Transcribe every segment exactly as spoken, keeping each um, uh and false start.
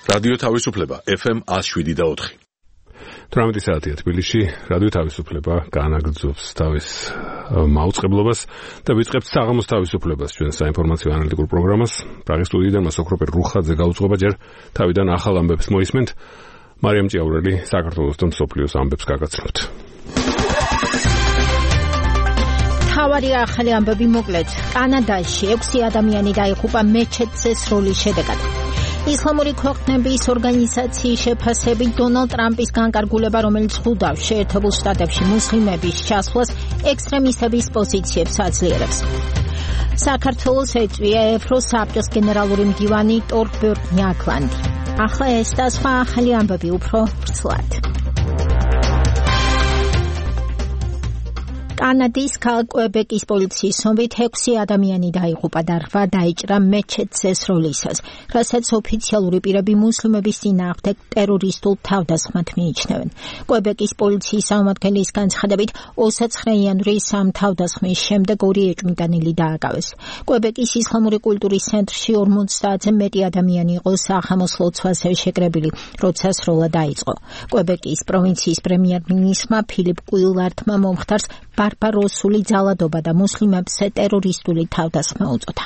რადიო თავისუფლება ეფ ემ one oh seven და four. თვრამეტი საათია თბილისში, რადიო თავისუფლება განაგრძობს თავის მაუწყებლობას და ვიწყებთ საღამოს თავისუფლებას ჩვენ საინფორმაციო ანალიტიკურ პროგრამას. პრაღის სტუდიიდან მასოქროპერ რუხაძე გაუძღვება ჯერ თავიდან ახალ ამბებს მოისმენთ. მარიამ ჭიაურელი საქართველოს და მსოფლიოს ამბებს გაგაცნობთ. თავარი ახალი ამბები მოკლედ. კანადაში ექვსი ადამიანი დაიღუპა მეჩეთზე სროლის შედეგად. ისლამური ქვეყნების ორგანიზაციის შეფასებით დონალდ ტრამპის განკარგულება, რომელიც ხვდავს შეერთებულ შტატებში მუსლიმების ჩასვლას, ექსტრემისტების პოზიციებს აძლიერებს. საქართველოს ეწვია ევროსაბჭოს გენერალური მდივანი ტორბერტ ნიაკლანდი. ახლა ეს და სხვა ახალი ამბები უფრო ვრცლად. კანადის ქალაქ კვებეკის პოლიციის ცნობით ექვსი ადამიანი დაიღუპა და რვა დაიჭრა მეჩეთზე სროლისას, რასაც ოფიციალური პირები მუსლიმების წინააღმდეგ ტერორისტულ თავდასხმად მიიჩნევენ. კვებეკის პოლიციის წარმომადგენლის განცხადებით, ოცდაათი იანვრის ამ თავდასხმის შემდეგ ორი ეჭვმიტანილი დააკავეს. კვებეკის ისლამური კულტურის ცენტრში ორმოცდაათზე მეტი ადამიანი იყო სახამოს ლოცვაზე შეკრებილი, როცა სროლა დაიწყო. კვებეკის პროვინციის პრემიერ-მინისტრმა ფილიპ კუილარდმა მომხდარს ბარბაროსული ძალადობა და მუსლიმებზე ტერორისტული თავდასხმა უწოდა.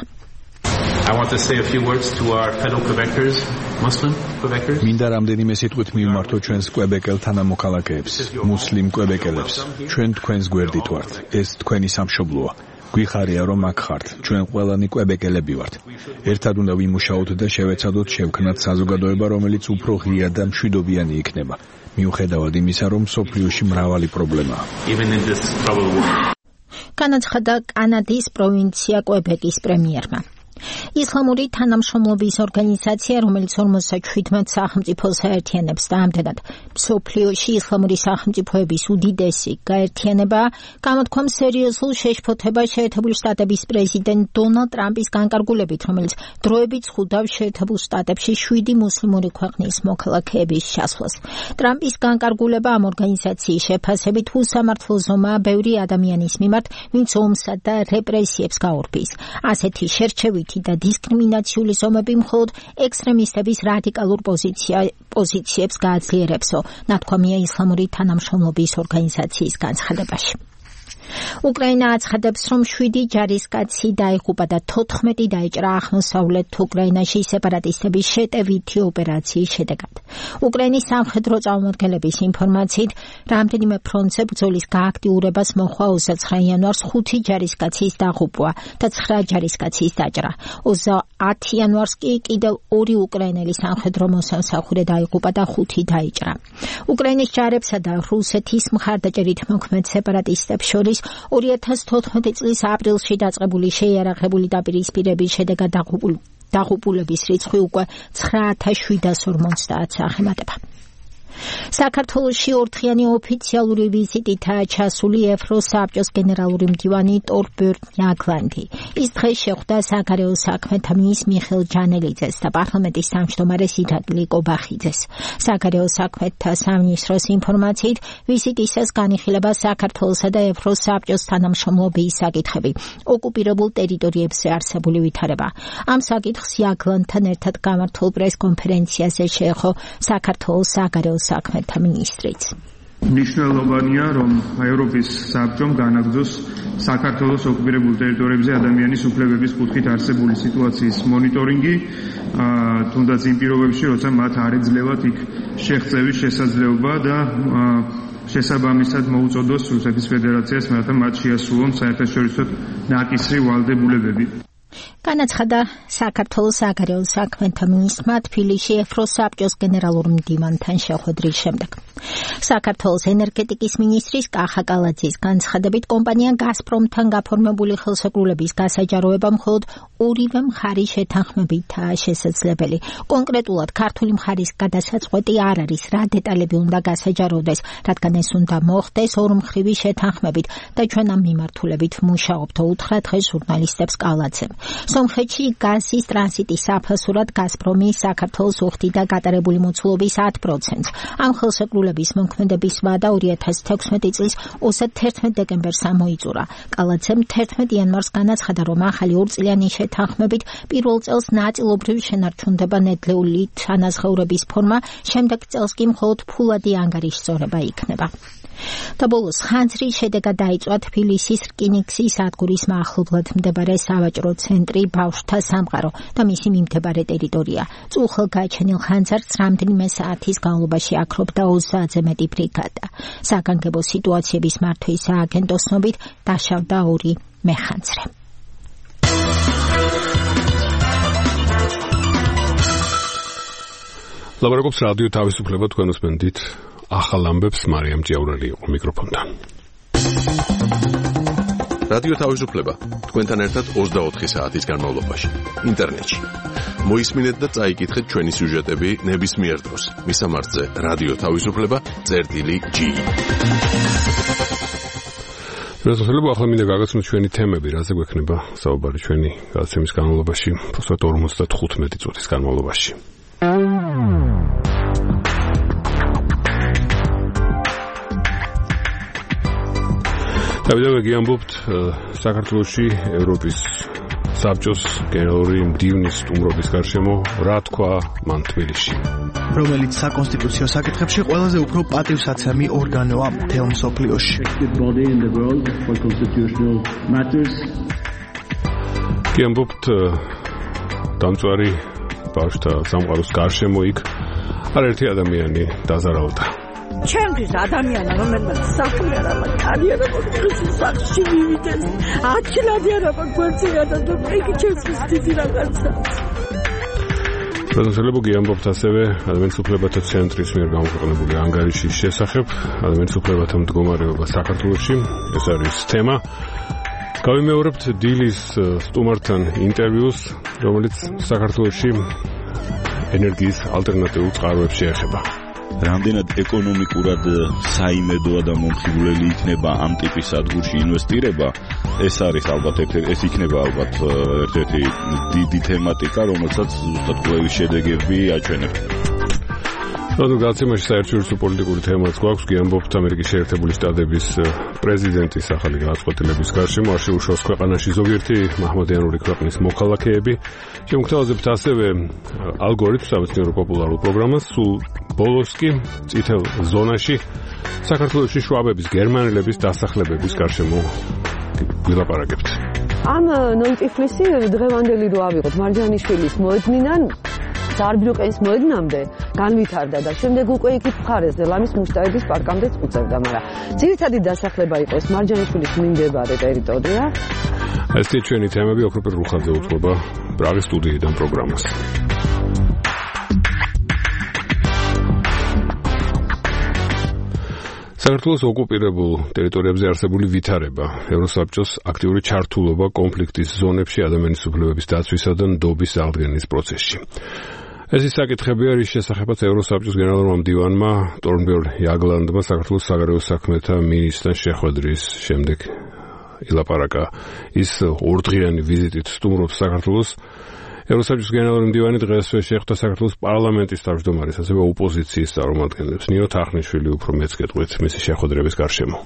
I want to say a few words to our fellow Quebecers, Muslim Quebecers. მინდა რამდენიმე სიტყვით მივმართო ჩვენს კვებეკელ თანამოქალაქეებს, მუსლიმ კვებეკელებს. ჩვენ თქვენს გვერდით ვართ. ეს თქვენი სამშობლოა. გვიხარია რომ აქ ხართ. ჩვენ ყველანი კვებეკელები ვართ. ერთად უნდა ვიმუშაოთ და შევეცადოთ შევქმნათ საზოგადოება, რომელიც უფრო ღია და მშვიდობიანი იქნება. მიუხედავად იმისა, რომ სოფლიოში მრავალი პრობლემაა. განაცხადა კანადის პროვინცია კვებეკის პრემიერმა. ისლამური თანამშრომლობის ორგანიზაცია, რომელიც ორმოცდაშვიდ სახელმწიფოს აერთიანებს და ამდენად მსოფლიოში ისლამური სახელმწიფოების უდიდესი გაერთიანებაა, გამოთქვამ სერიოზულ შეშფოთებას შეერთებული შტატების პრეზიდენტ დონალდ ტრამპის განკარგულებით, რომელიც დროებით ხვდავს შეერთებულ შტატებში შვიდი მუსლიმური ქვეყნის მოქალაქეების ჩასვლას. ტრამპის განკარგულება ამ ორგანიზაციის შეფასებით უსამართლო ზომაა ბევრი ადამიანის მიმართ, ვინც ომსა და რეპრესიებს გაურბის. ასეთი შერჩევით და დისკრიმინაციული ზომები მხოლოდ ექსტრემისტების რადიკალურ პოზიციებს გააძლიერებსო, ნათქვამია ისლამური თანამშრომლობის ორგანიზაციის განცხადებაში. უკრაინა აცხადებს, რომ შვიდი ჯარისკაცი დაიღუპა და თოთხმეტი დაიჭრა აღმოსავლეთ უკრაინაში სეპარატისტების შეტევითი ოპერაციის შედეგად. უკრაინის სამხედრო წარმომადგენლების ინფორმაციით, რამდენიმე ფრონტზე ბრძოლის გააქტიურებას მოჰყვა ოცდაათი იანვარს ხუთი ჯარისკაცის დაღუპვა და ცხრა ჯარისკაცის დაჭრა. ოცდაათი იანვარს კი კიდევ ორი უკრაინელი სამხედრო მოსამსახურე დაიღუპა და ხუთი დაიჭრა. უკრაინის ჯარებსა და რუსეთის მხარდაჭერით მოქმედ სეპარატისტებს შორის ორი ათას თოთხმეტი წლის აპრილში დაწყებული შეიარაღებული დაპირისპირების შედეგად დაღუპულების რიცხვი უკვე ცხრა ათას შვიდას ორმოცდაათს აღემატება. საქართველოში ორდღიანი ოფიციალური ვიზიტითაა ჩასული ევროსაბჭოს გენერალური მდივანი ტორბერტ ნიაკლანდი. ის დღეს შეხვდა საგარეო საქმეთა მინისტრს მიხეილ ჯანელიძეს და პარლამენტის თავმჯდომარეს ირაკლი კობახიძეს. საგარეო საქმეთა სამინისტროს ინფორმაციით, ვიზიტისას განიხილება საქართველოსა და ევროსაბჭოს თანამშრომლობის საკითხები, ოკუპირებულ ტერიტორიებზე არსებული ვითარება. ამ საკითხს ნიაკლანდთან ერთად გამართულ პრესკონფერენციაზე შეეხო საქართველოს საგარეო საქმეთა მინისტრიც. მნიშვნელოვანია, რომ ევროპის საბჭომ განაგრძოს საქართველოს ოკუპირებულ ტერიტორიებზე ადამიანის უფლებების კუთხით არსებული სიტუაციის მონიტორინგი, თუნდაც იმ პირობებში, როცა მათ არ ეძლევათ იქ შეღწევის შესაძლებლობა და შესაბამისად მოუწოდოს რუსეთის ფედერაციას, რათა მათ შეასრულონ საერთაშორისო ნაკისრი ვალდებულებები. განაცხადა საქართველოს საგარეო საქმეთა მინისტრმა თბილისში ევროსაბჭოს გენერალურ მდივანთან შეხვედრის შემდეგ. საქართველოს ენერგეტიკის მინისტრის კახა კალაძის განცხადებით, კომპანია გაზპრომთან გაფორმებული ხელშეკრულების გასაჯაროება მხოლოდ ორივე მხარის შეთანხმებითაა შესაძლებელი. კონკრეტულად ქართული მხარის გადასაწყვეტი არ არის, რა დეტალები უნდა გასაჯაროვდეს, რადგან ეს უნდა მოხდეს ორმხრივი შეთანხმებით და ჩვენ ამ მიმართულებით ვმუშაობთ, უთხრა დღეს ჟურნალისტებს კალაძემ. სომხეთში გაზის ტრანზიტის საფასურად გაზპრომი საქართველოს უხდიდა გატარებული მოცულობის ათ პროცენტს. ამ ხელშეკრულების მოქმედების ვადა ორი ათას თექვსმეტი წლის ოცდაათი დეკემბერს ამოიწურა. კალაცემ თერთმეტი იანვარს განაცხადა, რომ ახალი ორწლიანი შეთანხმებით პირველ წელს ნაწილობრივ შენარჩუნდება ნედლეული თანაზღაურების ფორმა, შემდეგ წელს კი მხოლოდ ფულადი ანგარიშზორება იქნება. და ბოლოს ხანძრის შედეგად დაიწვა თბილისის რკინიგზის სადგურის მახლობლად მდებარე სავაჭრო ცენტრი ბავშვთა სამყარო და მისი მიმდებარე ტერიტორია. წუხელ გაჩენილ ხანძარს რამდენიმე საათის განმავლობაში აქრობდა ოცდაათზე მეტი ბრიგადა. საგანგებო სიტუაციების მართვის სააგენტოს ცნობით დაშავდა ორი მეხანძრე. ლაბორატორიის რადიო თავისუფლება თქვენ უსმენთ ახალ ამბებს მარიამ ჭიაურელი იყო მიკროფონთან. რადიო თავისუფლება თქვენთან ერთად ოცდაოთხი საათის განმავლობაში ინტერნეტში. მოისმინეთ და წაიკითხეთ ჩვენი სიუჟეტები ნებისმიერ დროს. მისამართზე რადიო თავისუფლება წერტილი ჯი. რასაძლოა ახლა მინდა გაგაცნოთ ჩვენი თემები, რაზე გვექნება საუბარი ჩვენი გადაცემის განმავლობაში, უბრალოდ ორმოცდათხუთმეტი წუთის განმავლობაში. დავიდე გიამბობთ საქართველოში ევროპის საბჭოს გენერალური მდივნის სტუმრობის გარშემო რა თქვა მან თბილისში, რომელიც საკონსტიტუციო საკითხებში ყველაზე უფრო პატივსაცემი ორგანოა მთელ მსოფლიოში. გიამბობთ დამწვარი ბავშვთა სამყაროს გარშემო იქ არაერთი ადამიანი დაზარალდა. ჩემთვის ადამიანა, რომელმაც საქმე არ აქვს, კარიერა მოგვიდეს სახში მივიდეს. ათლადი არ აქვს გვერდზე და იგი ჩემთვის დიდი რაღაცა. რასაძლოა გიამბობთ ასევე ადამიანის უფლებათა ცენტრის მიერ გამოქვეყნებული ანგარიშის შესახებ ადამიანის უფლებათა მდგომარეობა საქართველოში. ეს არის თემა. გავიმეორებთ დილის სტუმართან ინტერვიუს, რომელიც საქართველოში ენერგიის ალტერნატიულ წყაროებს შეეხება. რამდენად ეკონომიკურად საიმედოა და მომხიბვლელი იქნება ამ ტიპის სადგურში ინვესტირება, ეს არის ალბათ ეს იქნება ალბათ ერთ-ერთი დიდი თემატიკა, რომელსაც ზუსტად კვლევის შედეგები აჩვენებს. რადგან გაცემაში საერთაშორისო პოლიტიკური თემაც გვაქვს, გიამბობთ ამერიკის შეერთებული შტატების პრეზიდენტის ახალი გადაწყვეტილების გარშემო არ შეუშვას ქვეყანაში ზოგიერთი მაჰმადიანური ქვეყნის მოქალაქეები. შემოგთავაზებთ ასევე ალგორითმს, სამეცნიერო პოპულარულ პროგრამას, სულ ბოლოს კი წითელ ზონაში საქართველოში შვაბების, გერმანელების დასახლებების გარშემო ვილაპარაკებთ. ამ ნოიტიფლისი დღევანდელი რო ავიღოთ მარჯანიშვილის მოედნიდან ზარბილოკენის მოედნამდე განვითარდა და შემდეგ უკვე იქით მხარესზე ლამის მუშტაედის პარკამდეც უწევდა, მაგრამ ძირითადი დასახლება იყო ეს მარჯანიშვილის მიმდებარე ტერიტორია. ესეთი ჩვენი თემები ოქროპირ რუხაძე უძღვება პრაღის სტუდიიდან პროგრამას. საქართველოს ოკუპირებულ ტერიტორიებზე არსებული ვითარება, ევროსაბჭოს აქტიური ჩართულობა კონფლიქტის ზონებში ადამიანის უფლებების დაცვისა და ნდობის აღდგენის პროცესში. ეს ის საკითხებია, რის შესახებაც ევროსაბჭოს გენერალურმა მდივანმა ტორნბერგ იაგლანდმა საქართველოს საგარეო საქმეთა მინისტრთან შეხვედრის შემდეგ ილაპარაკა. ის ორდღიანი ვიზიტით სტუმრობს საქართველოს. ევროსაბჭოს გენერალური მდივანი დღესვე შეხვდა საქართველოს პარლამენტის თავმჯდომარის, ასევე ოპოზიციის წარმომადგენლებს. ნინო თახნიშვილი უფრო მეც გეტყვით მისი შეხვედრების გარშემო.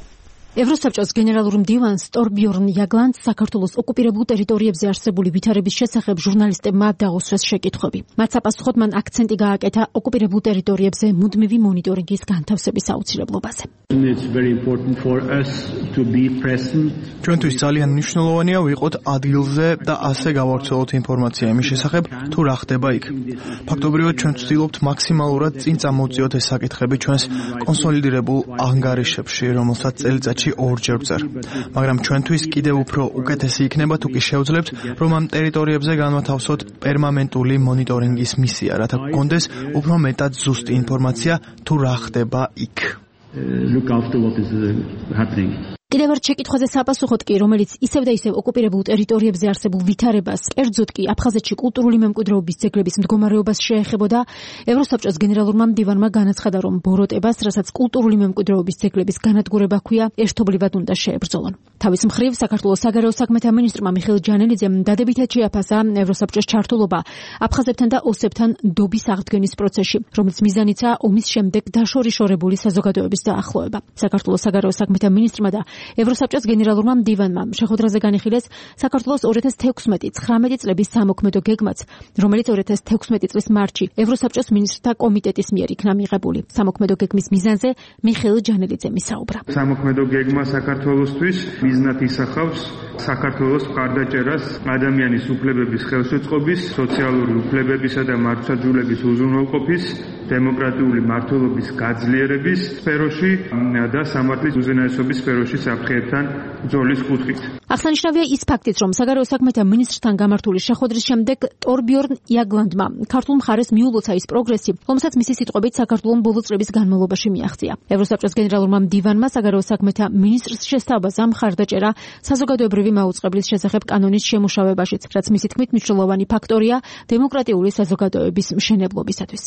ევროსაბჭოს გენერალურ მდივანს ტორბიორნ იაგლანდს საქართველოს ოკუპირებულ ტერიტორიებზე არსებული ვითარების შესახებ ჟურნალისტებმა დაუსვეს შეკითხვები. მათ საპასუხოდ მან აქცენტი გააკეთა ოკუპირებულ ტერიტორიებზე მუდმივი მონიტორინგის განთავსების აუცილებლობაზე. ჩვენთვის ძალიან მნიშვნელოვანია ვიყოთ ადგილზე და ასე გავავრცელოთ ინფორმაცია იმის შესახებ, თუ რა ხდება იქ. ფაქტობრივად ჩვენ ვცდილობთ მაქსიმალურად წინ წამოვწიოთ ეს საკითხები ჩვენს კონსოლიდირებულ ანგარიშებში, რომელსაც წელიწადში ორჯერ ვწერ. მაგრამ ჩვენთვის კიდევ უფრო უკეთესი იქნება თუ კი შევძლებთ, რომ ამ ტერიტორიებზე განვათავსოთ პერმანენტული მონიტორინგის მისია, რათა გქონდეს უფრო მეტად ზუსტი ინფორმაცია თუ რა ხდება იქ. კიდევ ერთ შეკითხვაზე საპასუხოდ კი, რომელიც ისევ და ისევ ოკუპირებულ ტერიტორიებზე არსებულ ვითარებას, კერძოდ კი აფხაზეთში კულტურული მემკვიდრეობის ძეგლების მდგომარეობას შეეხებოდა, ევროსაბჭოს გენერალურმა მდივანმა განაცხადა, რომ ბოროტებას, რასაც კულტურული მემკვიდრეობის ძეგლების განადგურება ჰქვია, ერთობლივად უნდა შეებრძოლონ. თავის მხრივ, საქართველოს საგარეო საქმეთა მინისტრმა მიხეილ ჯანელიძემ დადებითად შეაფასა ევროსაბჭოს ჩართულობა აფხაზებთან და ოსებთან დობის აღდგენის პროცესში, რომელიც მიზანიცაა ომის შემდეგ დაშორიშორებული საზოგადოების დაახლოება. საქართველოს საგარეო საქმეთა მინისტრმა და ევროსაბჭოს გენერალურმა მდივანმა შეხვედრაზე განიხილეს საქართველოს ორი ათას თექვსმეტი ცხრამეტი წლების სამოქმედო გეგმაც, რომელიც ორი ათას თექვსმეტი წლის მარტში ევროსაბჭოს მინისტრთა კომიტეტის მიერ იქნა მიღებული. სამოქმედო გეგმის მიზანზე მიხეილ ჯანელიძემ ისაუბრა. სამოქმედო გეგმა საქართველოსთვის მიზნად ისახავს საქართველოს მხარდაჭერას ადამიანის უფლებების ხელშეწყობის, სოციალური უფლებებისა და მართლმსაჯულების უზრუნველყოფის, დემოკრატიული მმართველობის გაძლიერების სფეროში და სამართლის უზენაესობის სფეროში საფრთხეებთან ბრძოლის კუთხით. აღსანიშნავია ის ფაქტიც, რომ საგარეო საქმეთა მინისტრთან გამართული შეხვედრის შემდეგ ტორბიორნ იაგლანდმა ქართულ მხარეს მიულოცა ის პროგრესი, რომელსაც მისი სიტყვებით საქართველოს ბოლო წლების განმავლობაში მიაღწია. ევროსაბჭოს გენერალურმა მდივანმა საგარეო საქმეთა მინისტრს შესთავაზა მხარდაჭერა საზოგადოებრივი მაუწყებლის შესახებ კანონის შემუშავებაშიც, რაც მისი თქმით მნიშვნელოვანი ფაქტორია დემოკრატიული საზოგადოების მშენებლობისათვის.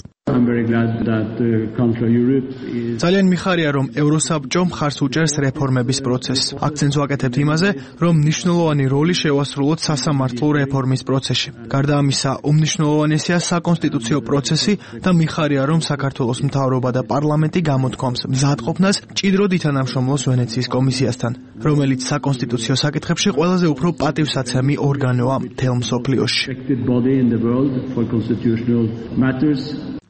ძალიან მიხარია, რომ ევროსაბჭო მხარს უჭერს რეფორმების პროცესს. აქცენტს ვაკეთებთ იმაზე, რომ მნიშვნელოვანი როლი შევასრულოთ სასამართლო რეფორმის პროცესში. გარდა ამისა, უმნიშვნელოვანესია საკონსტიტუციო პროცესი და მიხარია, რომ საქართველოს მთავრობა და პარლამენტი გამოთქვამს მზადყოფნას მჭიდროდ ითანამშრომლოს ვენეციის კომისიასთან, რომელიც საკონსტიტუციო საკითხებში ყველაზე უფრო პატივსაცემი ორგანოა მთელ მსოფლიოში.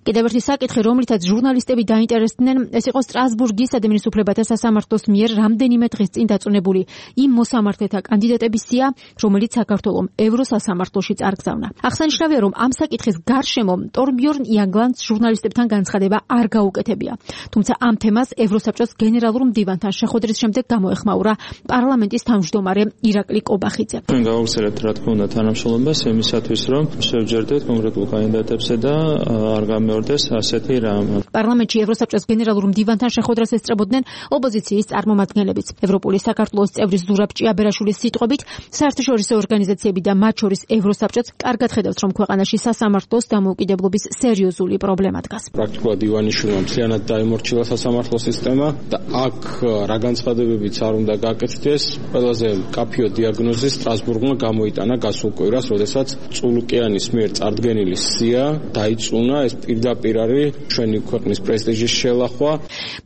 კიდევ ერთი საკითხი, რომლითაც ჟურნალისტები დაინტერესდნენ, ეს იყო სტრასბურგის ადამიანის უფლებათა სასამართლოს მიერ რამდენიმე დღის წინ დაწუნებული იმ მოსამართლეთა კანდიდატების სია, რომელიც საქართველოს ევროსასამართლოში წარგზავნა. აღსანიშნავია, რომ ამ საკითხის გარშემო ტორბიორნ იაგლანდს ჟურნალისტებთან განცხადება არ გაუკეთებია. თუმცა ამ თემას ევროსაბჭოს გენერალურ მდივანთან შეხვედრის შემდეგ გამოეხმაურა პარლამენტის თავმჯდომარე ირაკლი კობახიძე. ჩვენ გავავრცელებთ რა თქმა უნდა თანამშრომლობას იმისათვის, რომ შევჯერდეთ კონკრეტულ კანდიდატებსა და არ გამეორდეს ასეთი რამ. პარლამენტში ევროსაბჭოს გენერალურ მდივანთან შეხვედრას ესწრებოდნენ ოპოზიციის წარმომადგენლებიც. ევროპული საქართველოს წევრის ზურაბ ჭიაბერაშვილის სიტყვებით, საერთაშორისო ორგანიზაციები და მათ შორის ევროსაბჭოც კარგად ხედავს, რომ ქვეყანაში სასამართლოს დამოუკიდებლობის სერიოზული პრობლემა დგას. პრაქტიკულად ივანიშვილმა მთლიანად დაიმორჩილა სასამართლო სისტემა და აქ რა განცხადებებიც არ უნდა გაკეთდეს. ყველაზე კაფეო დიაგნოზი სტრასბურგმა გამოიტანა გასულ კვირას, როდესაც წულუკიანის მიერ წარდგენილი სია დაიწუნა. ეს პირდაპირ არის ჩვენი ქვეყნის პრესტიჟის შელახვა.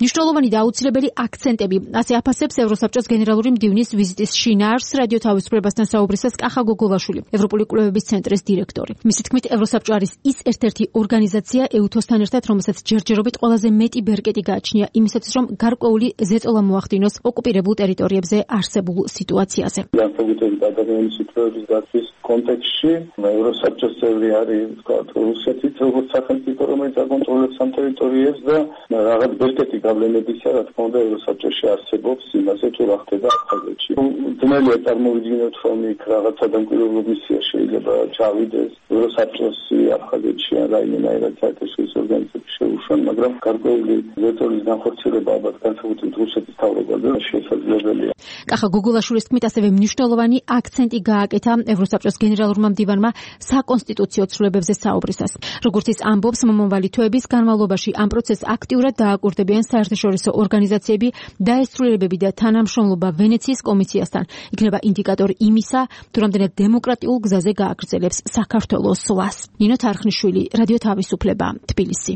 მნიშვნელოვანი და აუცილებელი აქცენტები, ასე აფასებს ევროსაბჭოს გენერალური მდივნის ვიზიტის შინაარსს რადიო თავისუფლებასთან საუბრისას კახა გოგოლაშვილი, ევროპული კვლევების ცენტრის დირექტორი. მისი თქმით, ევროსაბჭო არის ის ერთ-ერთი ორგანიზაცია ეუთოსთან ერთად, რომელსაც ჯერჯერობით ყველაზე მეტი ბერკეტი გააჩნია იმისათვის, რომ გარკვეული ზეწოლა მოახდინოს ოკუპირებულ ტერიტორიებზე არსებულ სიტუაციაზე. განსაკუთრებით ადამიანის უფლებების დაცვის კონტექსტში ევროსაბჭოს წევრი არის რუსეთიც, როგორც სახელმწიფო, რომელიც აკონტროლებს ამ ტერიტორიებს და რაღაც ბერკეტი გავლენებისა, რა თქმა უნდა, ევროსაბჭოში არსებობს იმაზე, თუ რა ხდება აფხაზეთში. ძნელია წარმოვიდგინოთ, რომ იქ რაღაც სადამკვირვებლო მისია შეიძლება ჩავიდეს ევროსაბჭოსი აფხაზეთში ან რაიმენაირად საერთაშორისო ორგანიზაციებში შეუშვან, მაგრამ გარკვეული ზეწოლის განხორციელება ალბათ განსაკუთრებით რუსეთის თავრობაზე შესაძლებელია. კახა გოგოლაშვილის თქმით, ასევე მნიშვნელოვანი აქცენტი გააკეთა ევროსაბჭოს გენერალურმა მდივანმა საკონსტიტუციო ცვლილებებზე საუბრისას. როგორც ის ამბობს, მომავალი თვეების განმავლობაში ამ პროცესს აქტიურად დააკურდებიან საერთაშორისო ორგანიზაციები, დაესრულებები და თანამშრომლობა ვენეციის კომისიასთან. იქნება ინდიკატორი იმისა, თუ რამდენად დემოკრატიულ გზაზე გააგრძელებს საქართველოს სვლას. ნინო თარხნიშვილი, რადიო თავისუფლება, თბილისი.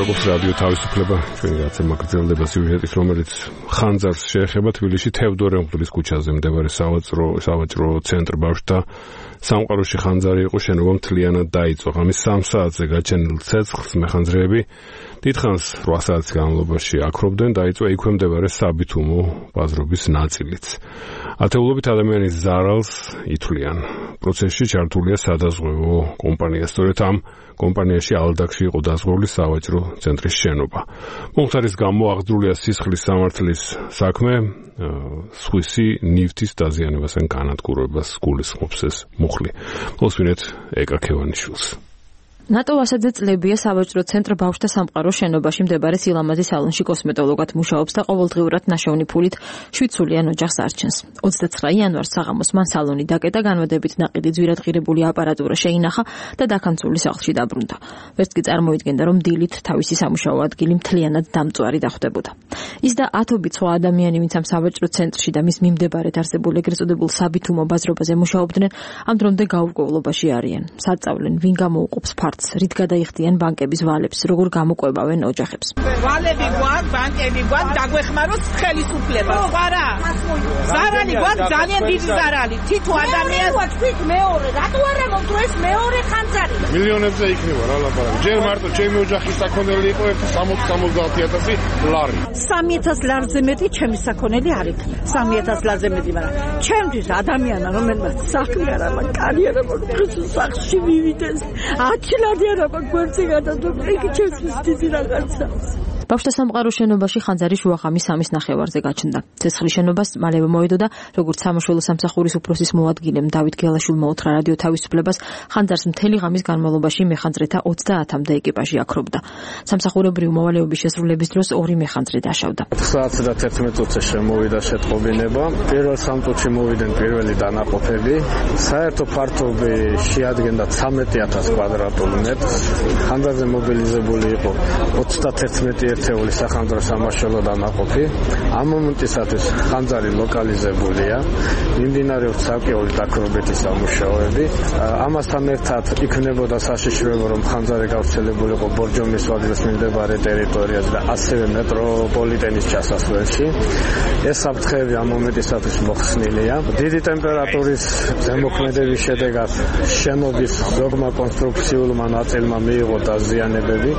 მოგესალმებით რადიო თავისუფლება ჩვენი გაცემა გრძელდება სიუჟეტის რომელიც ხანძარს შეეხება თბილისში თევდორე მღვდლის ქუჩაზე მდებარე სავაჭრო სავაჭრო ცენტრ ბავშვთა სამყაროში ხანძარი იყო შენობა მთლიანად დაიწვა ღამის სამ საათზე გაჩენილ ცეცხლს მეხანძრეები დიდხანს რვა საათის განმავლობაში აქრობდნენ დაიწვა იქვე მდებარე საბითუმო ბაზრობის ნაწილიც ათეულობით ადამიანის ზარალს ითვლიან პროცესში ჩართულია სადაზღვევო კომპანია სწორედ ამ კომპანიაში ალდაქში იყო დაზღვეული სავაჭრო ცენტრის შენობა. მომხდარის გამო აღძრულია სისხლის სამართლის საქმე, სხვისი ნივთის დაზიანებასთან განადგურებას გულისხმობს ეს მუხლი. მოსვინეთ ეკა ქევანიშვილს. ნატო ასადზე წლებია სავაჭრო ცენტრ ბავშვთა სამყაროს შენობაში მდებარე სილამაზის სალონში კოსმეტოლოგად მუშაობს და ყოველდღიურად ნაშოვნი ფულით შვიდსულიან ოჯახს არჩენს. ოცდაცხრა იანვარს საღამოს მან სალონი დაკეტა, განვადებით ნაყიდი ძვირადღირებული აპარატურა შეინახა და დაქანწული სახლში დაბრუნდა. ვერც კი წარმოიდგენდა, რომ დილით თავისი სამუშაო ადგილი მთლიანად დამწვარი დახვდებოდა. ის და ათობით სხვა ადამიანი, ვინც ამ სავაჭრო ცენტრში და მის მიმდებარედ არსებულ ეგრეთ წოდებულ საბითუმო ბაზრობაზე მუშაობდნენ, ამ დრომდე გაურკვევლობაში არიან. საწავლენ, ვინ გამოუყოფს რით გადაიხდიან ბანკების ვალებს, როგორ გამოყვებავენ ოჯახებს. ვალები გვაქვს, ბანკები გვაქვს, დაგვეხმაროთ ხელისუფლება. სხვა რა? ზარალი გვაქვს, ძალიან დიდი ზარალი. თითო ადამიანს თვით მეორე, რატო არა მომწვეს მეორე ხანძარი? მილიონებზე იქნება რა ლაპარაკი. ჯერ მარტო ჩემი ოჯახის საქონელი იყო სამოცდა სამოცდაათი ათასი ლარი. სამი ათას ლარზე მეტი ჩემი საქონელი არ იქნა. სამი ათას ლარზე მეტი, მაგრამ ჩემთვის ადამიანი რომელმაც საქმე არ აქვს, კარიერა მოგწეს სახში მივიდეს. ათი ლარი არა გვერდზე გადადო, იგი ჩემს დიდი რაღაცა. ბავშვთა სამყაროს შენობაში ხანძარი შუაღამის სამის ნახევარზე გაჩნდა. ცეცხლის შენობას მალევე მოედო და როგორც სამშველო სამსახურის უფროსის მოადგილემ დავით გელაშვილმა უთხრა რადიო თავისუფლებას, ხანძარს მთელი ღამის განმავლობაში მეხანძრეთა ოცდაათამდე ეკიპაჟი აქრობდა. სამსახურებრივი მოვალეობის შესრულების დროს ორი მეხანძრე დაშავდა. საათზე და თერთმეტ წუთზე შემოვიდა შეტყობინება. პირველ სამ წუთში მოვიდნენ პირველი დანაყოფები. საერთო ფართობი შეადგენდა ცხრამეტი ათას კვადრატული მეტრს. ხანძარზე მობილიზებული იყო ოცდათერთმეტი ერთეული სახანძრო სამაშველო დანაყოფი. ამ მომენტისათვის ხანძარი ლოკალიზებულია. მიმდინარეობს ცალკეული დაქრობითი სამუშაოები. ამასთან ერთად იქნებოდა საშიშროება, რომ ხანძარი გავრცელებულიყო ბორჯომის ვადის მიმდებარე ტერიტორიაზე და ასევე მეტროპოლიტენის ჩასასვლელში. ეს საფრთხეები ამ მომენტისათვის მოხსნილია. დიდი ტემპერატურის ზემოქმედების შედეგად შენობის ზოგმა კონსტრუქციულმა ნაწილმა მიიღო დაზიანებები.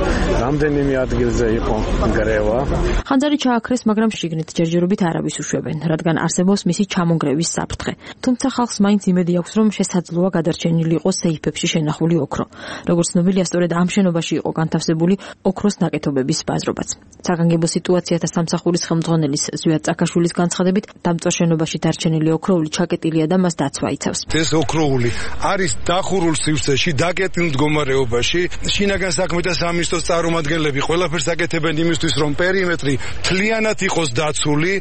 რამდენიმე ადგილზე იყო გრევა. ხანძარი ჩააქრეს, მაგრამ შიგნით ჯერჯერობით არავის უშვებენ, რადგან არსებობს მისი ჩამონგრევის საფრთხე. თუმცა ხალხს მაინც იმედი აქვს, რომ შესაძლოა გადარჩენილი იყოს სეიფებში შენახული ოქრო. როგორც ცნობილია, სწორედ ამ შენობაში იყო განთავსებული ოქროს ნაკეთობების ბაზრობაც. საგანგებო სიტუაციათა სამსახურის ხელმძღვანელის ზვიად წაკაშვილის განცხადებით, დამწვარ შენობაში დარჩენილი ოქროული ჩაკეტილია და მას დაცვა იცავს. ეს ოქროული არის დახურულ სივრცეში, დაკეტილ მდგომარეობაში. შინაგან საქმეთა სამინისტროს წარმომადგენლები ყველაფერს აკეთებენ იმისთვის, რომ პერიმეტრი მთლიანად იყოს დაცული.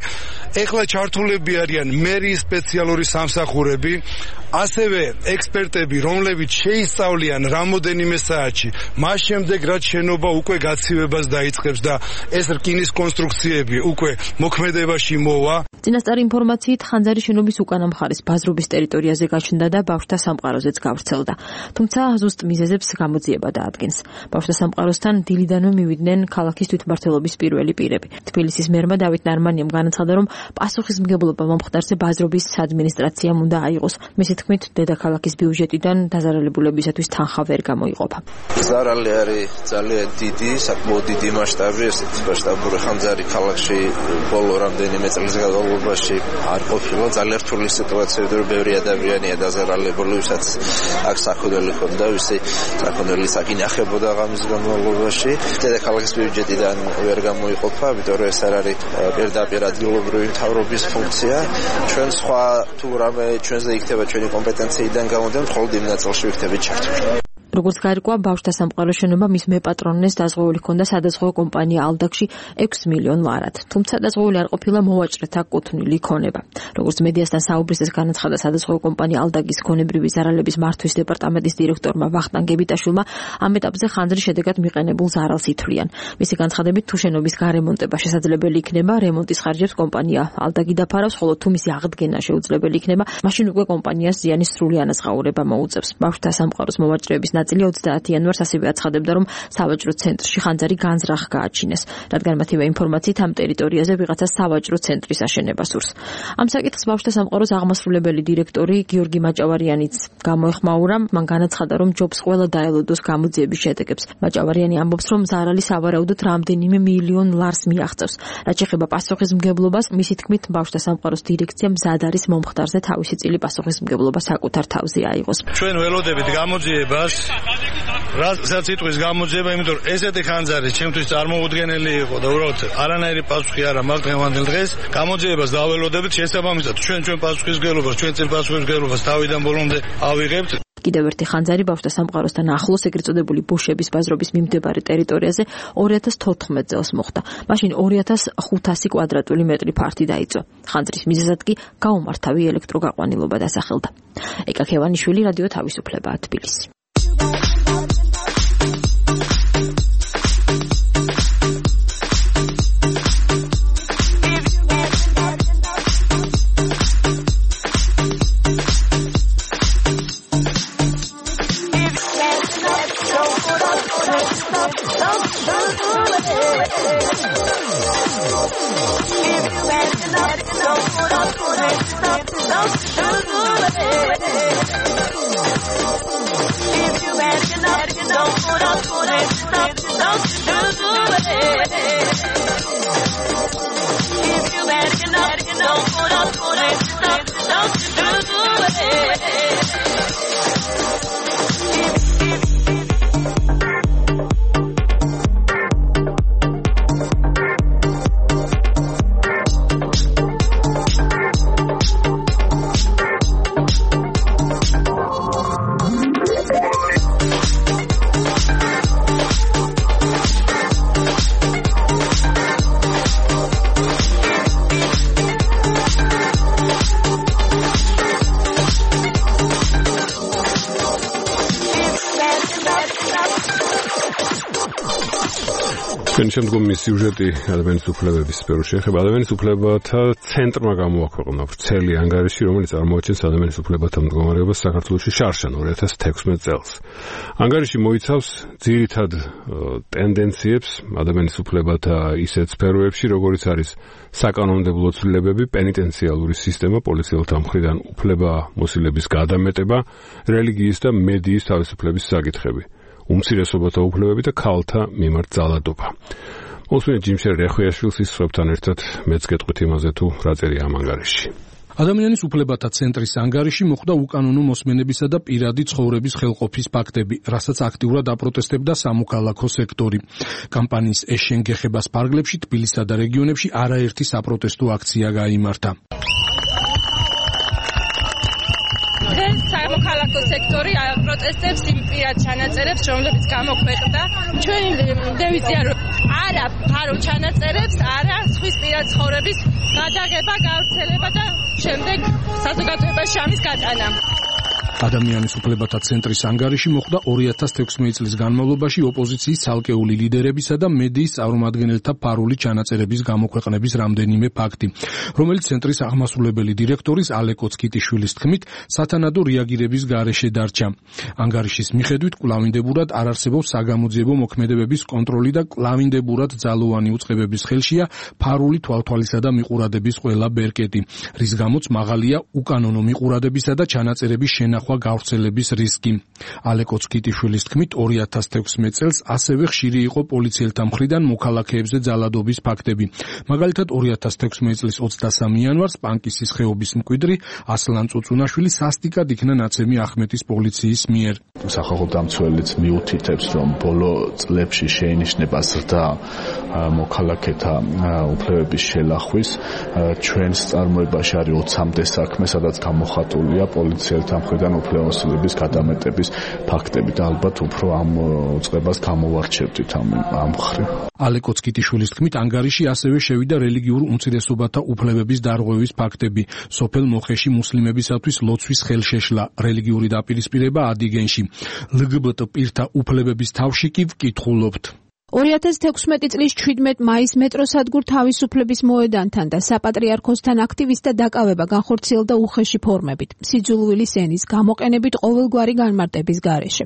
ეხლა ჩართულები არიან მერიის სპეციალური სამსახურები, ასევე ექსპერტები, რომლებიც შეისწავლიან რამოდენიმე საათში, მას შემდეგ რაც შენობა უკვე გაცივებას დაიწყებს და ეს რკინის კონსტრუქციები უკვე მოქმედებაში მოვა. წინასწარი ინფორმაციით ხანძარი შენობის უკანა მხარის ბაზრობის ტერიტორიაზე გაჩნდა და ბავშვთა სამყაროზეც გავრცელდა. თუმცა ზუსტ მიზეზებს გამოძიება დაადგენს. ბავშვთა სამყაროსთან დილიდანვე მივიდნენ ქალაქის თვითმმართველობის პირველი პირები. თბილისის მერმა დავით ნარმანიამ განაცხადა, რომ პასუხისმგებლობა მომხდარზე ბაზრობის ადმინისტრაციამ უნდა აიღოს. მისი თქმით, დედაქალაქის ბიუჯეტიდან დაზარალებულებისათვის თანხა ვერ გამოიყოფა. ზარალი არის ძალიან დიდი, საკმაოდ დიდი მასშტაბი, ესეთი მასშტაბური ხანძარი ქალაქში ბოლო რამდენიმე წლის განმავლობაში არ ყოფილა. ძალიან რთული სიტუაციები, რომ ბევრი ადამიანია დაზარალებული, ვისაც აქ საქონელი ჰქონდა, ვისი საქონელი საკინახებოდა ღამის განმავლობაში. დედაქალაქის ბიუჯეტიდან ვერ გამოიყოფა, იმიტომ რომ ეს არ არის პირდაპირ ადგილობრივი მთავრობის ფუნქცია. ჩვენ სხვა თუ რამე ჩვენზე იქნება ჩვენი კომპეტენციიდან გამოდენ, მხოლოდ იმ ნაწილში ვიქნებით ჩართული. როგორც გაირკვა, ბავშვთა სამყაროს შენობა მის მეპატრონეს დაზღვეული ჰქონდა სადაზღვევო კომპანია ალდაქში ექვსი მილიონ ლარად. თუმცა დაზღვეული არ ყოფილა მოვაჭრეთა კუთვნილი ქონება. როგორც მედიასთან საუბრისას განაცხადა სადაზღვევო კომპანია ალდაგის ქონებრივი ზარალების მართვის დეპარტამენტის დირექტორმა ვახტანგ გებიტაშვილმა, ამ ეტაპზე ხანძრის შედეგად მიყენებულ ზარალს ითვლიან. მისი განცხადებით, თუ შენობის გარემონტება შესაძლებელი იქნება, რემონტის ხარჯებს კომპანია ალდაგი დაფარავს, ხოლო თუ მისი აღდგენა შეუძლებელი იქნება, მაშინ უკვე კომპანიას ზიანის სრული ანაზღაურება მოუწევს. ბავშვთა სამყაროს მოვაჭრეების ნაწილი ოცდაათი იანვარს ასევე აცხადებდა, რომ სავაჭრო ცენტრში ხანძარი განზრახ გააჩინეს, რადგან მათივე ინფორმაციით ამ ტერიტორიაზე ვიღაცა სავაჭრო ცენტრის აშენება სურს. ამ საკითხს ბავშვთა სამყაროს აღმასრულებელი დირექტორი გიორგი მაჭავარიანიც გამოეხმაურა, მან განაცხადა, რომ ჯობს ყველა დაელოდოს გამოძიების შედეგებს. მაჭავარიანი ამბობს, რომ ზარალი სავარაუდოდ რამდენიმე მილიონ ლარს მიაღწევს. რაც ეხება პასუხისმგებლობას, მისი თქმით, ბავშვთა სამყაროს დირექცია მზად არის მომხდარზე თავისი წილი პასუხისმგებლობა საკუთარ თავზე აიღოს. ჩვენ ველოდებით გამოძიებას, რასაც იტყვის გამოძიება, იმიტომ რომ ესეთი ხანძარი ჩემთვის წარმოუდგენელი იყო და უბრალოდ არანაირი პასუხი არ აქვს დღევანდელ დღეს. გამოძიებას დაველოდებით, შესაბამისად ჩვენ ჩვენ პასუხისმგებლობას, ჩვენ წინ პასუხისმგებლობას თავიდან ბოლომდე ავიღებთ. კიდევ ერთი ხანძარი ბავშვთა სამყაროსთან ახლოს ეგრეთ წოდებული ბუშების ბაზრობის მიმდებარე ტერიტორიაზე ორი ათას თოთხმეტ წელს მოხდა. მაშინ ორი ათას ხუთასი კვადრატული მეტრი ფართი დაიწვა. ხანძრის მიზეზად კი გაუმართავი ელექტროგაყვანილობა დასახელდა. ეკა ქევანიშვილი, რადიო თავისუფლება, თბილისი. შემდგომი სიუჟეტი ადამიანის უფლებების სფეროს შეეხება. ადამიანის უფლებათა ცენტრმა გამოაქვეყნა ვრცელი ანგარიში, რომელიც წარმოაჩენს ადამიანის უფლებათა მდგომარეობას საქართველოში შარშან ორი ათას თექვსმეტ წელს. ანგარიში მოიცავს ძირითად ტენდენციებს ადამიანის უფლებათა ისეთ სფეროებში, როგორიც არის საკანონმდებლო ცვლილებები, პენიტენციალური სისტემა, პოლიციელთა მხრიდან უფლება მოსილების გადამეტება, რელიგიის და მედიის თავისუფლების საკითხები, უმცირესობათა უფლებები და ქალთა მიმართ ძალადობა. მოსმენთ ჯიმშერ რეხვიაშვილს ისწრებთან ერთად მეც გეტყვით იმაზე თუ რა წერია ამ ანგარიში. ადამიანის უფლებათა ცენტრის ანგარიში მოხდა უკანონო მოსმენებისა და პირადი ცხოვრების ხელყოფის ფაქტები, რასაც აქტიურად აპროტესტებდა სამოქალაქო სექტორი. კამპანიის ეშენ გეხებას ფარგლებში თბილისსა და რეგიონებში არაერთი საპროტესტო აქცია გაიმართა. სამოქალაქო სექტორი პროტესტებს იმ პირად ჩანაწერებს, რომლებიც გამოქვეყნდა. ჩვენი დევიზია არა ფარო ჩანაწერებს, არა სხვის პირად ცხოვრების გადაღება, გავრცელება და შემდეგ საზოგადოებაში ამის გატანა. ადამიანის უფლებათა ცენტრის ანგარიში მოხდა ორი ათას თექვსმეტ წლის განმავლობაში ოპოზიციის ცალკეული ლიდერებისა და მედიის წარმომადგენელთა ფარული ჩანაწერების გამოქვეყნების რამდენიმე ფაქტი, რომელიც ცენტრის აღმასრულებელი დირექტორის ალე კოცკიტიშვილის თქმით სათანადო რეაგირების გარეშე დარჩა. ანგარიშის მიხედვით კვლავინდებურად არ არსებობს საგამოძიებო მოქმედებების კონტროლი და კვლავინდებურად ძალოვანი უწყებების ხელშია ფარული თვალთვალისა და მიყურადების ყველა ბერკეტი, რის გამოც მაღალია უკანონო მიყურადებისა და ჩანაწერების შენახვა გავრცელების რისკი. ალე კოცკიტიშვილის თქმით ორი ათას თექვსმეტ წელს ასევე ხშირი იყო პოლიციელთა მხრიდან მოქალაქეებზე ძალადობის ფაქტები. მაგალითად ორი ათას თექვსმეტ წლის ოცდასამი იანვარს პანკისის ხეობის მკვიდრი ასლან წუწუნაშვილი სასტიკად იქნა ნაცემი ახმეტის პოლიციის მიერ. სახალხო დამცველიც მიუთითებს, რომ ბოლო წლებში შეინიშნება ზრდა მოქალაქეთა უფლებების შელახვის. ჩვენს წარმოებაში არის ოცამდე საქმე, სადაც გამოხატულია პოლიციელთა მხრიდან უფლებამოსილების გადამეტების ფაქტები და ალბათ უფრო ამ უწყებას გამოვარჩევდით ამ ამ მხრივ. ალე კოცკიტიშვილის თქმით ანგარიში ასევე შევიდა რელიგიურ უმცირესობათა უფლებების დარღვევის ფაქტები. სოფელ მოხეში მუსლიმებისათვის ლოცვის ხელშეშლა, რელიგიური დაპირისპირება ადიგენში. ლგბტ პირთა უფლებების თავში კი ვკითხულობთ. ორი ათას თექვსმეტი წლის ჩვიდმეტ მაისს მეტროსადგურ თავისუფლების მოედანთან და საპატრიარქოსთან აქტივისტთა დაკავება განხორციელდა უხეში ფორმებით, სიძულვილის ენის გამოყენებით ყოველგვარი განმარტების გარეშე.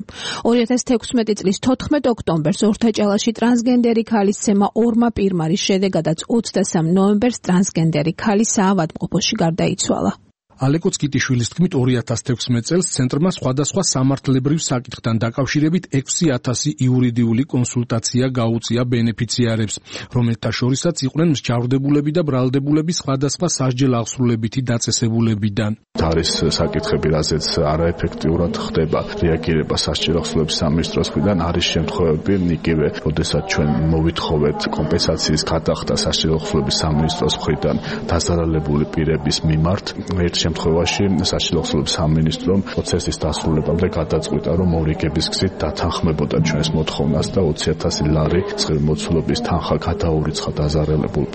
ორი ათას თექვსმეტი წლის თოთხმეტ ოქტომბერს ორთაჭალაში ტრანსგენდერი ქალის ცემა ორმა პირმარის შედეგადაც ოცდასამ ნოემბერს ტრანსგენდერი ქალი საავადმყოფოში გარდაიცვალა. ალეკო წკიტიშვილის თქმით ორი ათას თექვსმეტ წელს ცენტრმა სხვადასხვა სამართლებრივ საკითხთან დაკავშირებით ექვსი ათასი იურიდიული კონსულტაცია გაუწია ბენეფიციარებს, რომელთა შორისაც იყვნენ მსჯავრდებულები და ბრალდებულები სხვადასხვა სასჯელ აღსრულებითი დაწესებულებიდან. არის საკითხები, რაზეც არაეფექტიურად ხდება რეაგირება სასჯელ აღსრულების სამინისტროს მხრიდან, არის შემთხვევები, იგივე, როდესაც ჩვენ მოვითხოვეთ კომპენსაციის გადახდა სასჯელ აღსრულების სამინისტროს მხრიდან დასარალებული პირების მიმართ, ერთ შემთხვევაში სასჯელ აღსრულების სამინისტრომ პროცესის დასრულებამდე გადაწყვიტა, რომ მორიგების გზით დათანხმებოდა ჩვენს მოთხოვნას და ოცი ათასი ლარი მოცულობის თანხა გადაურიცხა დაზარალებულ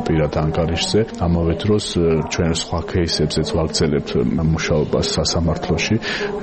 პირად ანგარიშზე. ამავე დროს ჩვენ სხვა кейსებზეც ვაგრძელებთ მუშაობას სასამართლოში,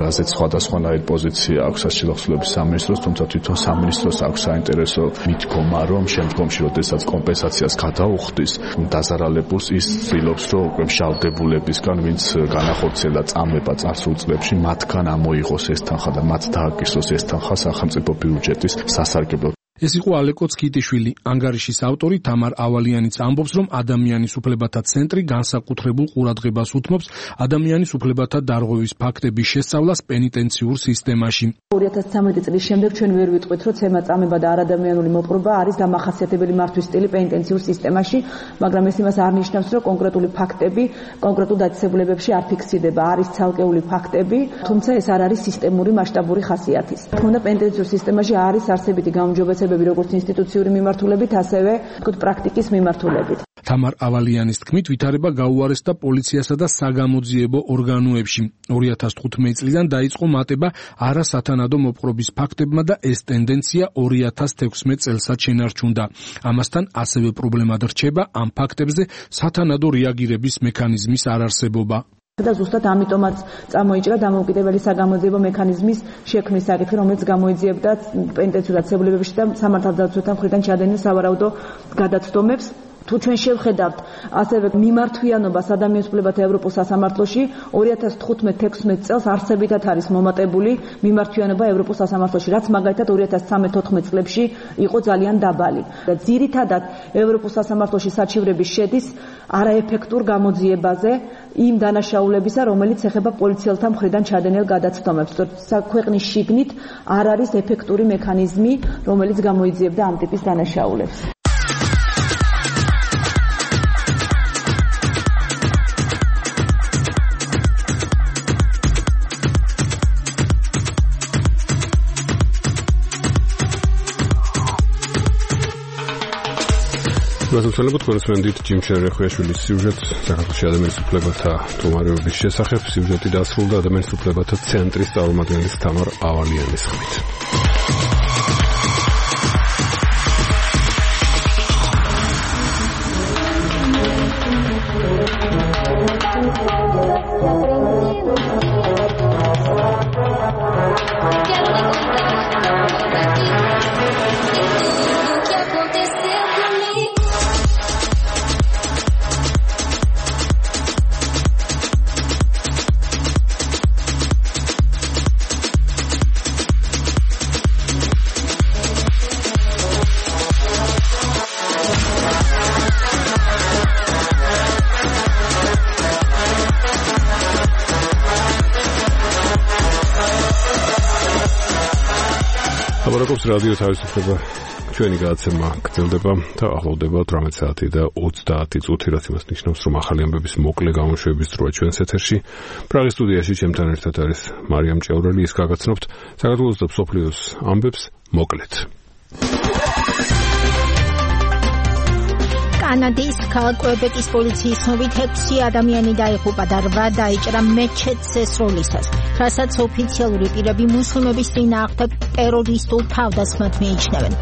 რაზეც სხვადასხვანაირი პოზიცია აქვს სასჯელ აღსრულების სამინისტროს, თუმცა თვითონ სამინისტროს აქვს საინტერესო მიდგომა, რომ შემდგომში, როდესაც კომპენსაციას გადაუხდის დაზარალებულს, ის ცდილობს, რომ უკვე მშალდებულებისგან, ვინც განახორციელა წამება წარსულ წლებში, მათგან ამოიღოს ეს თანხა და მათ დააკისროს ეს თანხა სახელმწიფო ბიუჯეტის სასარგებლოდ. ეს იყო ალეკო წკიტიშვილი. ანგარიშის ავტორი თამარ ავალიანიც ამბობს, რომ ადამიანის უფლებათა ცენტრი განსაკუთრებულ ყურადღებას უთმობს ადამიანის უფლებათა დარღვევის ფაქტების შესწავლას პენიტენციურ სისტემაში. ორი ათას ცხრამეტი წლის შემდეგ ჩვენ ვერ ვიტყვით, რომ ცემა წამება და არადამიანური მოპყრობა არის დამახასიათებელი მართვის სტილი პენიტენციურ სისტემაში, მაგრამ ეს იმას არ ნიშნავს, რომ კონკრეტული ფაქტები კონკრეტულ დაწესებულებებში არ ფიქსირდება, არის ცალკეული ფაქტები, თუმცა ეს არ არის სისტემური მასშტაბური ხასიათის. თქმა უნდა, პენიტენციურ სისტემაში არის არსებითი გაუმჯობესებები როგორც ინსტიტუციური მიმართულებით, ასევე თქო პრაქტიკის მიმართულებით. თამარ ავალიანის თქმით, ვითარება გაუარესდა პოლიციასა და საგამოძიებო ორგანოებში. ორი ათას თხუთმეტი წლიდან დაიწყო მატება არასათანადო მოპყრობის ფაქტებმა და ეს ტენდენცია ორი ათას თექვსმეტ წელსაც შენარჩუნდა. ამასთან ასევე პრობლემად რჩება ამ ფაქტებზე სათანადო რეაგირების მექანიზმის არარსებობა. და ზუსტად ამიტომაც წამოიჭრა დამოუკიდებელი საგამოძიებო მექანიზმის შექმნის საკითხი, რომელიც გამოიძიებდა პენიტენციურ დაწესებულებებში და სამართალდაცვათა მხრიდან ჩადენილ სავარაუდო გადაცდომებს. თუ ჩვენ შევხედავთ ასევე მიმართვიანობას ადამიანის უფლებათა ევროპულ სასამართლოში, ორი ათას თხუთმეტ თექვსმეტ წელს არსებითად არის მომატებული მიმართვიანობა ევროპულ სასამართლოში, რაც მაგალითად ორი ათას ცხრამეტ თოთხმეტ წლებში იყო ძალიან დაბალი. და ძირითადად ევროპულ სასამართლოში საჩივრები შედის არაეფექტურ გამოძიებაზე იმ დანაშაულებისა, რომელიც ეხება პოლიციელთა მხრიდან ჩადენილ გადაცდომებს. ქვეყნის შიგნით არ არის ეფექტური მექანიზმი, რომელიც გამოიძიებდა ამ ტიპის დანაშაულებს. გასაცნობთ კორესპონდენტ ჯიმ შერეხუაშვილის სიუჟეტს საქართველოს ადამიანის უფლებათა მდგომარეობის შესახებ. სიუჟეტი დასრულდა ადამიანის უფლებათა ცენტრის წარმომადგენლის თამარ ავალიანის ხმით. აბარაკობს რადიო თავისუფლება, ჩვენი გადაცემა გრძელდება და ახლოვდება ოცდამეტ საათი და ოცდაათი წუთი, რაც იმას ნიშნავს, რომ ახალი ამბების მოკლე გამოშვების დროა ჩვენს ეთერში. პრაღის სტუდიაში ჩემთან ერთად არის მარიამ ჭევრელი, ის გაგაცნობთ საქართველოს და მსოფლიოს ამბებს მოკლედ. კანადის ქალაქ კვებეკის პოლიციის ცნობით ექვსი ადამიანი დაიღუპა და რვა დაიჭრა მეჩეთს ესროლისას, რასაც ოფიციალური პირები მუსლიმების წინააღმდეგ ტერორისტულ თავდასხმად მიიჩნევენ.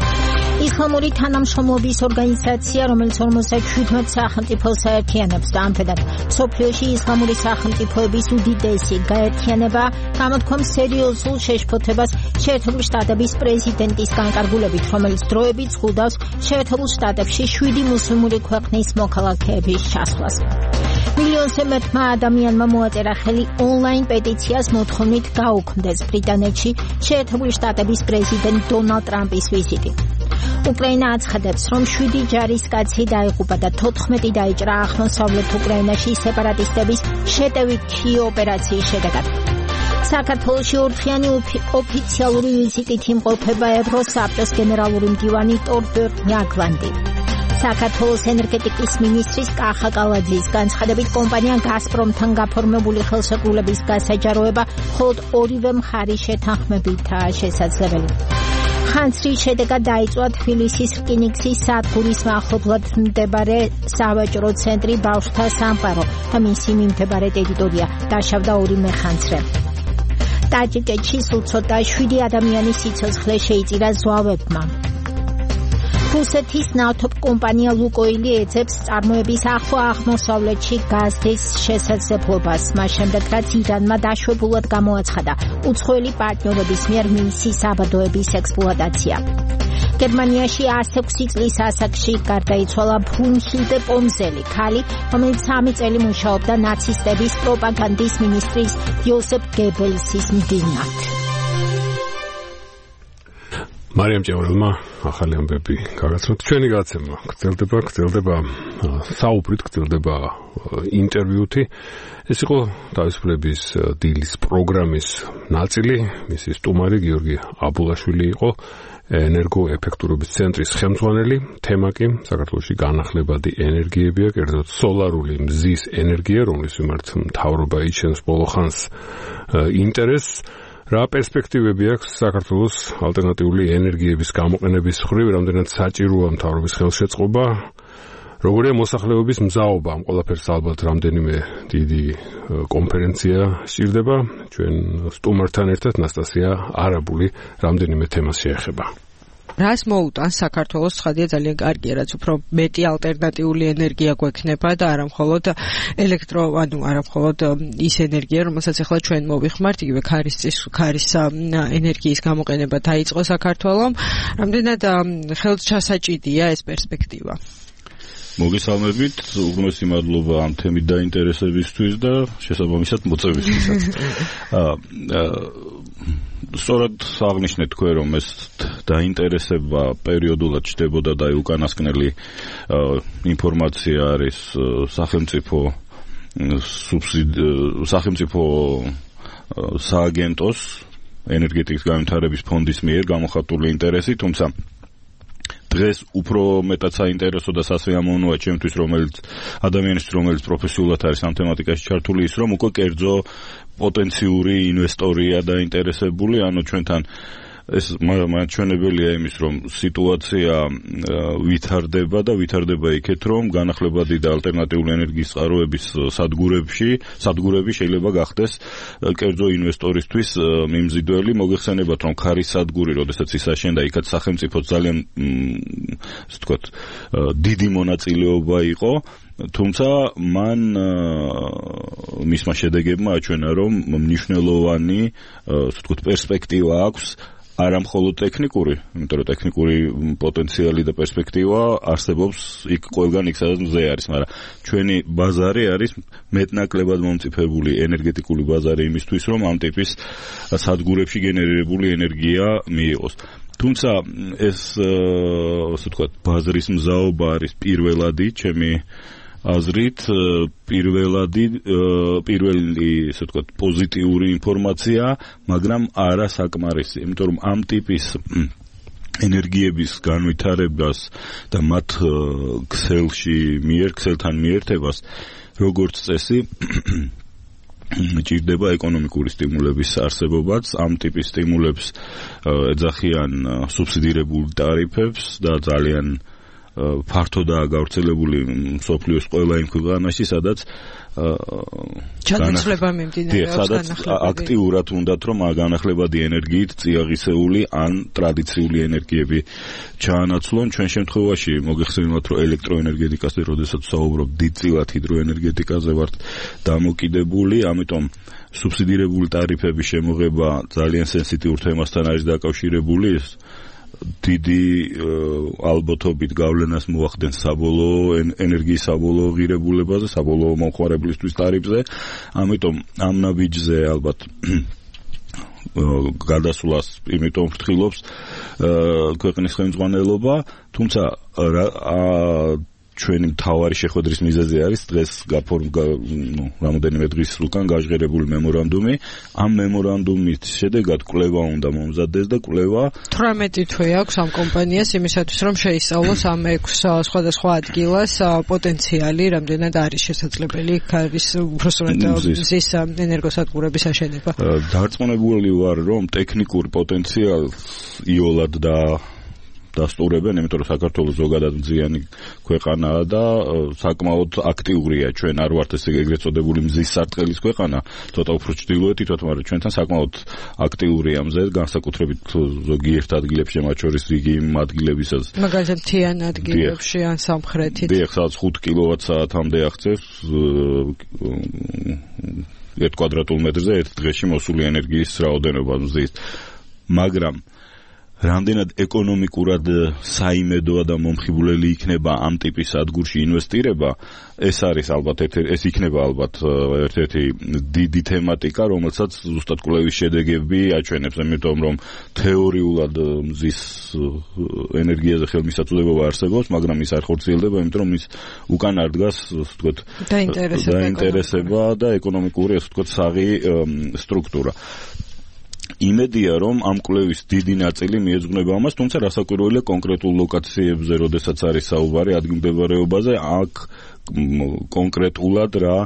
ისლამური თანამშრომლობის ორგანიზაცია, რომელიც ორმოცდაშვიდ სახელმწიფოს აერთიანებს და ამჟამად მსოფლიოში ისლამური სახელმწიფოების უდიდესი გაერთიანება, გამოთქვამს სერიოზულ შეშფოთებას შეერთებული შტატების პრეზიდენტის განკარგულებით, რომელიც დროებით ზღუდავს შეერთებულ შტატებში შვიდი მუსლიმური ქვეყნის მოქალაქეების ჩასვლას. მილიონზე მეტმა ადამიანმა მოაწერა ხელი ონლაინ პეტიციას მოთხოვნით გაუქმდეს ბრიტანეთში შეერთებული შტატების პრეზიდენტ დონალდ ტრამპის ვიზიტი. უკრაინა აცხადებს, რომ შვიდი ჯარისკაცი დაიღუპა და თოთხმეტი დაიჭრა აღმოსავლეთ უკრაინაში სეპარატისტების შეტევითი ოპერაციის შედეგად. საქართველოში ორდღიანი ოფიციალური ვიზიტით იმყოფება ევროსაბჭოს გენერალური მდივანი ტორბერტ ნიაგლანდი. საქართველოს ენერგეტიკის მინისტრის კახა კალაძის განცხადებით, კომპანია გაზპრომთან გაფორმებული ხელშეკრულების გასაჯაროება მხოლოდ ორივე მხარის შეთანხმებითაა შესაძლებელი. ხანძრის შედეგად დაიწვა თბილისის რკინიგზის სადგურის მახლობლად მდებარე სავაჭრო ცენტრი ბავშვთა სამყარო და მისი მიმდებარე ტერიტორია დაშავდა ორი მეხანძრე. ტაჯიკეთში სულ ცოტა შვიდი ადამიანის სიცოცხლე შეიწირა ზვავებმა. რუსეთის ნავთობკომპანია ლუკოილი ეძებს წარმოების ახლო აღმოსავლეთში გაზის შესაძლებლობას, მას შემდეგ რაც ირანმა დაშვებულად გამოაცხადა უცხოელი პარტნიორების მიერ მისი საბადოების ექსპლუატაცია. გერმანიაში ასი წლის ასაკში გარდაიცვალა ბრუნჰილდე პომზელი, ქალი, რომელიც სამი წელი მუშაობდა ნაცისტების პროპაგანდის მინისტრის იოსებ გებელსის მდივნად. მარიამ ჭევრელმა ახალი ამბები გაგაცნოთ. ჩვენი გაცემა გრძელდება, გრძელდება საუბრით, გრძელდება ინტერვიუთი. ეს იყო თავისუფლების დილის პროგრამის ნაწილი. მისი სტუმარი გიორგი აბულაშვილი იყო, ენერგოეფექტურობის ცენტრის ხელმძღვანელი. თემა კი საქართველოში განახლებადი ენერგიებია, კერძოდ სოლარული მზის ენერგია, რომლის მიმართ მთავრობა იჩენს ბოლოხანს ინტერესს. რა პერსპექტივები აქვს საქართველოს ალტერნატიული ენერგიების გამოყენების მხრივ, რამდენად საჭიროა მთავრობის ხელშეწყობა, როგორია მოსახლეობის მზაობა, ამ ყველაფერს ალბათ რამდენიმე დიდი კონფერენცია სჭირდება. ჩვენ სტუმართან ერთად ნასტასია არაბული რამდენიმე თემას შეეხება. რას მოუტანს საქართველოს ცხადია ძალიან კარგია, რაც უფრო მეტი ალტერნატიული ენერგია გვექნება და არა მხოლოდ ელექტრო, ანუ არა მხოლოდ ის ენერგია, რომელსაც ახლა ჩვენ მოვიხმართ, იგივე ქარისწის ქარის ენერგიის გამოყენება დაიწყო საქართველოს. რამდენად ხელჩასაჭიდია ეს პერსპექტივა? მოგესალმებით, უღრმესი მადლობა ამ თემით დაინტერესებისთვის და შესაბამისად მოწვევისთვისაც. სწორად აღნიშნეთ თქვენ, რომ ეს დაინტერესება პერიოდულად ჩდებოდა და უკანასკნელი ინფორმაცია არის სახელმწიფო სახელმწიფო სააგენტოს ენერგეტიკის განვითარების ფონდის მიერ გამოხატული ინტერესი, თუმცა დღეს უფრო მეტად საინტერესო და სასიამოვნოა ჩემთვის, რომელიც ადამიანისთვის, რომელიც პროფესიულად არის ამ თემატიკაში ჩართული, ის რომ უკვე კერძო პოტენციური ინვესტორია დაინტერესებული, ანუ ჩვენთან ეს მაჩვენებელია იმის, რომ სიტუაცია ვითარდება და ვითარდება იქეთ, რომ განახლებადი და ალტერნატიული ენერგიის წყაროების სადგურებში, სადგურები შეიძლება გახდეს კერძო ინვესტორისთვის მიმზიდველი. მოგეხსენებათ, რომ ქარის სადგური, როდესაც ის აშენდა, იქაც სახელმწიფო ძალიან ასე ვთქვათ, დიდი მონაწილეობა იყო. თუმცა მან მისმა შედეგებმა აჩვენა, რომ მნიშვნელოვანი ასე ვთქვათ პერსპექტივა აქვს, არა მხოლოდ ტექნიკური, იმიტომ რომ ტექნიკური პოტენციალი და პერსპექტივა არსებობს იქ ყველგან იქ სადაც მზე არის, მაგრამ ჩვენი ბაზარი არის მეტნაკლებად მომწიფებული ენერგეტიკული ბაზარი იმისთვის, რომ ამ ტიპის სადგურებში გენერირებული ენერგია მიიღოს. თუმცა ეს ასე ვთქვათ, ბაზრის მზაობა არის პირველადი, ჩემი აზრით, პირველადი პირველი ასე ვთქვათ, პოზიტიური ინფორმაცია, მაგრამ არა საკმარისი, იმიტომ რომ ამ ტიპის ენერგიების განვითარებას და მათ ქსელში მიერ, ქსელთან მიერთებას, როგორც წესი, ჭირდება ეკონომიკური სტიმულების არსებობაც. ამ ტიპის სტიმულებს ეძახიან სუბსიდირებულ ტარიფებს და ძალიან ფართოდაა გავრცელებული მსოფლიოს ყველა იმ ქვეყანაში, სადაც ჩანაცვლება მიმდინარეობს, სადაც აქტიურად უნდათ რომ განახლებადი ენერგიით წიაღისეული ან ტრადიციული ენერგიები ჩაანაცვლონ. ჩვენ შემთხვევაში მოგეხსენებათ, რომ ელექტროენერგეტიკაზე, როდესაც საუბრობ, დიდწილად ჰიდროენერგეტიკაზე ვართ დამოკიდებული, ამიტომ სუბსიდირებული ტარიფების შემოღება ძალიან სენსიტიურ თემასთან არის დაკავშირებული. დიდი ალბათობით გავლენას მოახდენს საბოლოო ენერგიის საბოლოო ღირებულებაზე, საბოლოო მომხმარებლისთვის ტარიფზე. ამიტომ ამ ნაბიჯზე ალბათ გადასვლას იმიტომ ფრთხილობს ქვეყნის ხელმძღვანელობა, თუმცა ჩვენი მთავარი შეხვედრის მიზეზი არის დღეს გაფორმ ნუ რამოდენიმე დღის უკან გაჟღერებული მემორანდუმი. ამ მემორანდუმის შედეგად კვლევა უნდა მომზადდეს და კვლევა თვრამეტი თვე აქვს ამ კომპანიას იმისათვის რომ შეისწავლოს ამ ექვს სხვადასხვა ადგილას პოტენციალი, რამდენად არის შესაძლებელი ქარის უბრალოდ მზის ენერგოსადგურების აშენება. დარწმუნებული ვარ რომ ტექნიკურ პოტენციალს იოლად და დასტურებენ, იმიტომ რომ საქართველოს ზოგადად მზიანი ქვეყანაა და საკმაოდ აქტიურია. ჩვენ არ ვართ ესე ეგრეთ წოდებული მზის სარტყელის ქვეყანა, ცოტა უფრო ჩრდილოეთით ვართ, მაგრამ ჩვენთან საკმაოდ აქტიურია მზე, განსაკუთრებით ზოგიერთ ადგილებში, მათ შორის რიგი იმ ადგილებისაც. მაგალითად მთიან ადგილებში ან სამხრეთით. დიახ, სადაც ხუთ კილოვატ-საათამდე აღწევს ერთ კვადრატულ მეტრზე ერთ დღეში მოსული ენერგიის რაოდენობა მზის. მაგრამ რამდენად ეკონომიკურად საიმედოა და მომხიბვლელი იქნება ამ ტიპის სადგურში ინვესტირება, ეს არის ალბათ ეს იქნება ალბათ ერთ-ერთი დიდი თემატიკა, რომელსაც ზუსტად კვლევის შედეგები აჩვენებს, იმიტომ რომ თეორიულად მზის ენერგიაზე ხელმისაწვდომობა არსებობს, მაგრამ ის არ ხორციელდება, იმიტომ რომ ის უკან არ დგას, ასე ვთქვათ, დაინტერესება და ეკონომიკური, ასე ვთქვათ, საღი სტრუქტურა. იმედია რომ ამ კვლევის დიდი ნაწილი მიეძღვნება ამას, თუმცა რასაკვირველია კონკრეტულ ლოკაციებზე, როდესაც არის საუბარი ადგილმდებარეობაზე, აქ კონკრეტულად რა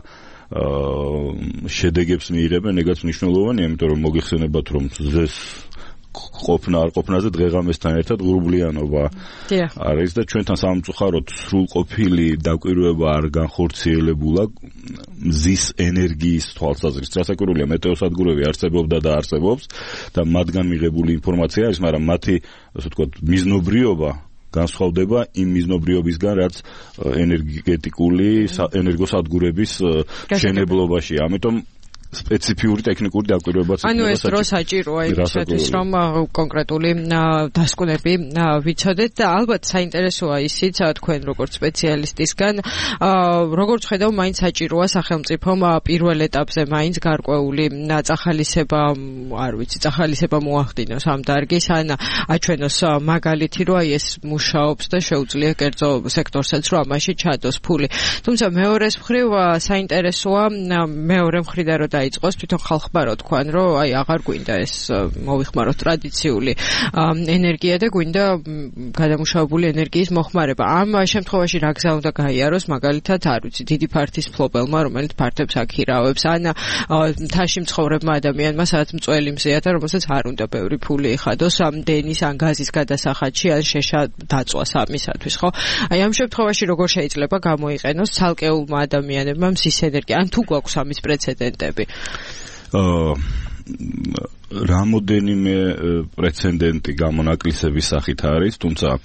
შედეგებს მიიღებენ, ეგაც მნიშვნელოვანია, იმიტომ რომ მოგეხსენებათ რომ ზეს ყოფნა არ ყოფნაზე დღეღამესთან ერთად ღრუბლიანობა არის და ჩვენთან სამწუხაროდ სრულყოფილი დაკვირვება არ განხორციელებულა მზის ენერგიის თვალსაზრისით. რასაკვირველია, მეტეოსადგურები არსებობდა და არსებობს და მათგან მიღებული ინფორმაცია არის, მაგრამ მათი, ასე ვთქვათ, მიზნობრიობა განსხვავდება იმ მიზნობრიობისგან, რაც ენერგეტიკული ენერგოსადგურების შენებლობაში. ამიტომ სპეციფიური ტექნიკური დაკვირვებაც იქნება. ანუ ეს დრო საჭიროა იმისათვის, რომ კონკრეტული დასკვნები ვიცოდეთ და ალბათ საინტერესოა ისიც თქვენ როგორც სპეციალისტისგან, როგორც ხედავ, მაინც საჭიროა სახელმწიფომ პირველ ეტაპზე მაინც გარკვეული წახალისება, არ ვიცი, წახალისება მოახდინოს ამ დარგის, ან აჩვენოს მაგალითი, რომ აი ეს მუშაობს და შეუძლია კერძო სექტორსაც, რომ ამაში ჩადოს ფული. თუმცა მეორეს მხრივ საინტერესოა მეორე მხრიდან რომ დაიწყოს თვითონ ხალხმა რო თქვან, რომ აი აღარ გვინდა ეს მოვიხმაროთ ტრადიციული ენერგია და გვინდა გადამუშავებული ენერგიის მოხმარება. ამ შემთხვევაში რა გზა უნდა გაიაროს, მაგალითად, არ ვიცი, დიდი ფართის ფლობელმა, რომელიც ფართებს აქირავებს, ან მთაში მცხოვრებმა ადამიანმა, სადაც მწველი მზეა და რომელსაც არ უნდა ბევრი ფული ეხადოს ამ დენის ან გაზის გადასახადში, ან შეშა დაწვას ამისათვის, ხო? აი ამ შემთხვევაში როგორ შეიძლება გამოიყენოს ცალკეულმა ადამიანებმა მზის ენერგია, ან თუ გვაქვს ამის პრეცედენტები? აა რამოდენიმე პრეცედენტი გამონაკლისების სახით არის, თუმცა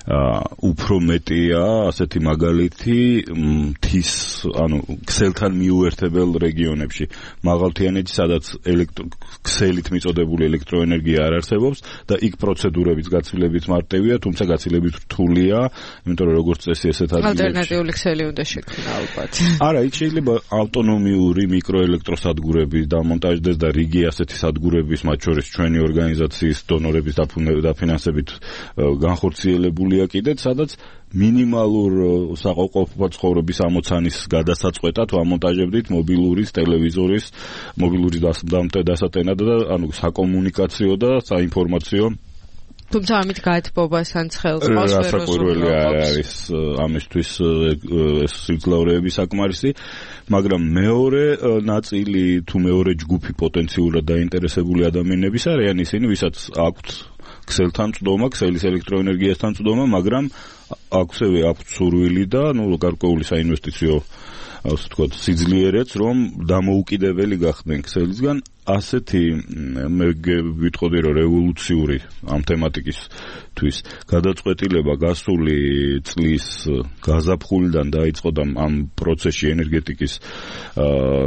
უფრო მეტია ასეთი მაგალითი მთის, ანუ ქსელთან მიუერთებელ რეგიონებში, მაღალთიანეთში, სადაც ქსელით მიწოდებული ელექტროენერგია არ არსებობს და იქ პროცედურების გაცილებით მარტივია, თუმცა გაცილებით რთულია, იმიტომ რომ როგორც წესი ესეთ ადგილებში ალტერნატიული ქსელი უნდა შექმნა ალბათ. არა, იქ შეიძლება ავტონომიური მიკროელექტროსადგურები დამონტაჟდეს და რიგი ასეთი სადგურების, მათ შორის ჩვენი ორგანიზაციის დონორების დაფინანსებით განხორციელებული კიდეც, სადაც მინიმალურ საყოფო ცხოვრების ამოცანის გადასაწყვეტად ვამონტაჟებდით მობილურის, ტელევიზორის, მობილურის დასატენად და ანუ საკომუნიკაციო და საინფორმაციო. თუმცა ამით გაეთბობას ან ცხელს ყავს რასაკვირველი არის ამისთვის ეს სიმძლავრეები საკმარისი, მაგრამ მეორე ნაწილი თუ მეორე ჯგუფი პოტენციურად დაინტერესებული ადამიანების არიან ისინი, ვისაც აქვთ ქსელთან წვდომა, ქსელის ელექტროენერგიასთან წვდომა, მაგრამ აქვსევე აქვთ სურვილი და ნუ გარკვეული საინვესტიციო ასე ვთქვათ სიძლიერეც რომ დამოუკიდებელი გახდნენ ქსელისგან ასეთი მე ვიტყოდი რომ რევოლუციური ამ თემატიკისთვის გადაწყვეტილება გასული წლის გაზაფხულიდან დაიწყო და ამ პროცესში ენერგეტიკის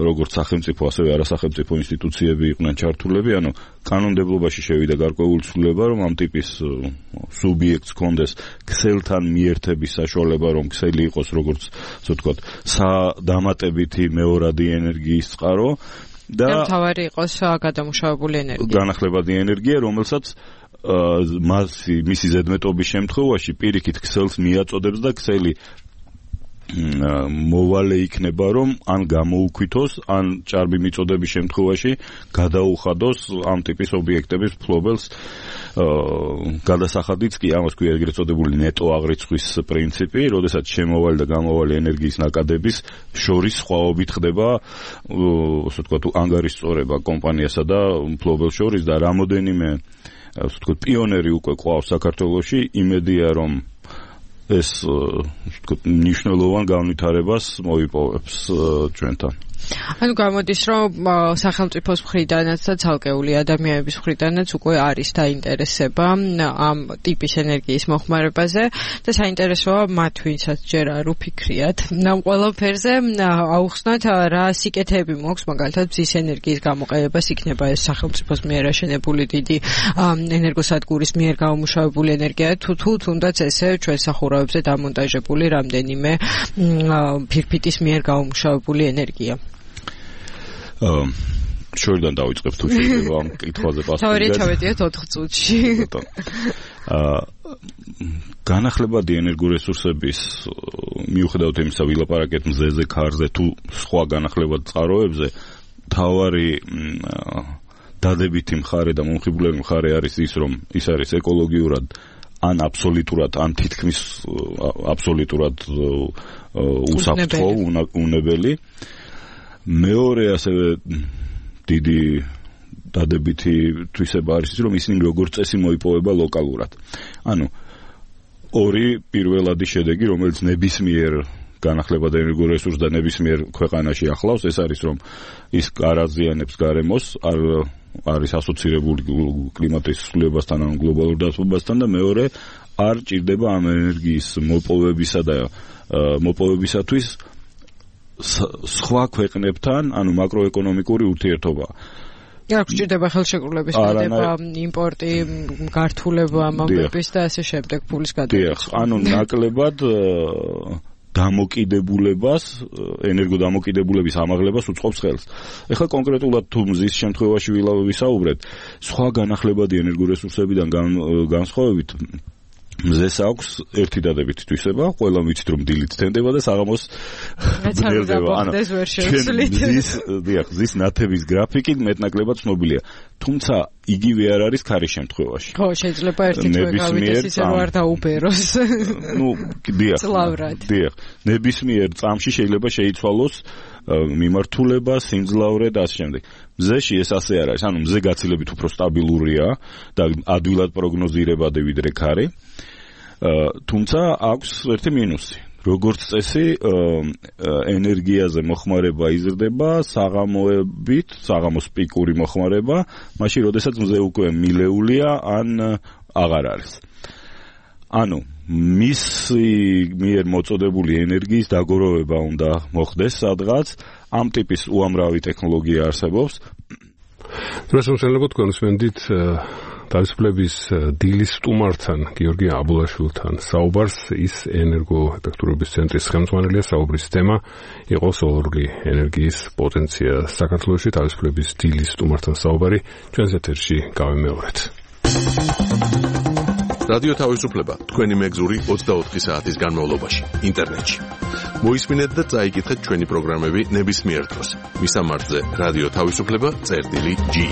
როგორც სახელმწიფო ასევე არასახელმწიფო ინსტიტუციები იყვნენ ჩართულები ანუ კანონმდებლობაში შევიდა გარკვეული ცვლილება რომ ამ ტიპის სუბიექტს ჰქონდეს ქსელთან მიერთების საშუალება რომ ქსელი იყოს როგორც ასე ვთქვათ სადამატებითი მეორადი ენერგიის წყარო და თავარი იყოს გადამუშავებული ენერგია. განახლებადი ენერგია, რომელსაც მასი მისი ზედმეტობის შემთხვევაში პირიქით ქსელს მიაწოდებს და ქსელი მოვალე იქნება რომ ან გამოუქვითოს, ან ჭარბი მიწოდების შემთხვევაში გადაუხადოს ამ ტიპის ობიექტების ფლობელს გადასახადიც კი ამას ქვია ეგრეთ წოდებული ნეტო აღრიცხვის პრინციპი, როდესაც შემოვალი და გამოვალი ენერგიის ნაკადების შორის სხვაობით ხდება, ასე ვთქვათ, ანგარიშწორება კომპანიასა და ფლობელს შორის და რამოდენიმე, ასე ვთქვათ, პიონერი უკვე ყავს საქართველოში, იმედია რომ ეს ნიშნულოვან განვითარებას მოიპოვებს ჩვენთან. ანუ გამოდის რომ სახელმწიფოს მხრიდანაც და ცალკეული ადამიანების მხრიდანაც უკვე არის დაინტერესება ამ ტიპის ენერგიის მოხმარებაზე და საინტერესოა მათ ვინცაც ჯერ არ უფიქრიათ ამ ყველაფერზე აუხსნათ რა სიკეთეები მოაქვს მაგალითად მზის ენერგიის გამოყენებას იქნება ეს სახელმწიფოს მიერ აშენებული დიდი ენერგოსადგურის მიერ გამომუშავებული ენერგია თუ თუ თუნდაც ესე ჩვენ სახურავებზე დამონტაჟებული რამდენიმე ფირფიტის მიერ გამომუშავებული ენერგია აა შორიდან დავიწყებ თუ შეიძლება ამ კითხვაზე პასუხი. თავი ჩავედიოთ ოთხ წუთში. აა განახლებადი ენერგორესურსების მიუხედავად იმისა, ვილაპარაკეთ მზეზე, ქარზე თუ სხვა განახლებად წყაროებზე, თავარი დადებითი მხარე და მომხიბვლელი მხარე არის ის, რომ ის არის ეკოლოგიურად ან აბსოლუტურად, ან თითქმის აბსოლუტურად უსაფრთხო, უნებელი. მეორე ასევე დიდი დადებითი თვისება არის ის, რომ ისინი როგორც წესი მოიპოვება ლოკალურად. ანუ ორი პირველადი შედეგი, რომელიც ნებისმიერ განახლებად ენერგორესურსს და ნებისმიერ ქვეყანაში ახლავს, ეს არის რომ ის არ აზიანებს გარემოს, არ არის ასოცირებული კლიმატის ცვლილებასთან ან გლობალურ დათბობასთან და მეორე არ ჭირდება ამ ენერგიის მოპოვებისა და მოპოვებისათვის სხვა ქვეყნებთან, ანუ მაკროეკონომიკური ურთიერთობა. რა გჭირდება ხელშეკრულების დადება, იმპორტი, გართულება ამბების და ასე შემდეგ ფულის გადაგება. ანუ ნაკლებად დამოკიდებულებას, ენერგოდამოკიდებულების ამაღლებას უწყობს ხელს. ეხლა კონკრეტულად თუ მზის შემთხვევაში ვისაუბრეთ, სხვა განახლებადი ენერგორესურსებიდან განსხვავებით მზეს აქვს ერთი დადებითი თვისება, ყველა ვიცით რომ დილით თენდება და საღამოს ბნელდება. ანუ მზის, დიახ, მზის ნათების გრაფიკი მეტნაკლებად ცნობილია. თუმცა იგივე არ არის ქარის შემთხვევაში. ხო, შეიძლება ერთი თვე გავიდეს ისე რომ არ დაუბეროს. ნუ, დიახ. წლავრად. დიახ. ნებისმიერ წამში შეიძლება შეიცვალოს მიმართულება, სიმძლავრე და ასე შემდეგ. მზეში ეს ასე არ არის. ანუ მზე გაცილებით უფრო სტაბილურია და ადვილად პროგნოზირებადი ვიდრე ქარი. თუმცა აქვს ერთი მინუსი. როგორც წესი, ენერგიაზე მოხმარება იზრდება საღამოებით, საღამოს პიკური მოხმარება, მაშინ როდესაც მზე უკვე მილეულია ან აღარ არის. ანუ მისი მიერ მოწოდებული ენერგიის დაგროვება უნდა მოხდეს სადღაც, ამ ტიპის უამრავი ტექნოლოგია არსებობს. დროს შეიძლება თქვენ ვსმენდით თავისუფლების დილის სტუმართან, გიორგი აბულაშვილთან საუბარს, ის ენერგოეფექტურობის ცენტრის ხელმძღვანელია, საუბრის თემა იყო სოლარული ენერგიის პოტენცია საქართველოში. თავისუფლების დილის სტუმართან საუბარი ჩვენს ეთერში გავიმეორეთ. რადიო თავისუფლება თქვენი მეგზური ოცდაოთხი საათის განმავლობაში ინტერნეტში. მოისმინეთ და წაიკითხეთ ჩვენი პროგრამები ნებისმიერ დროს. მისამართზე რადიო თავისუფლება წერტილი ჯი.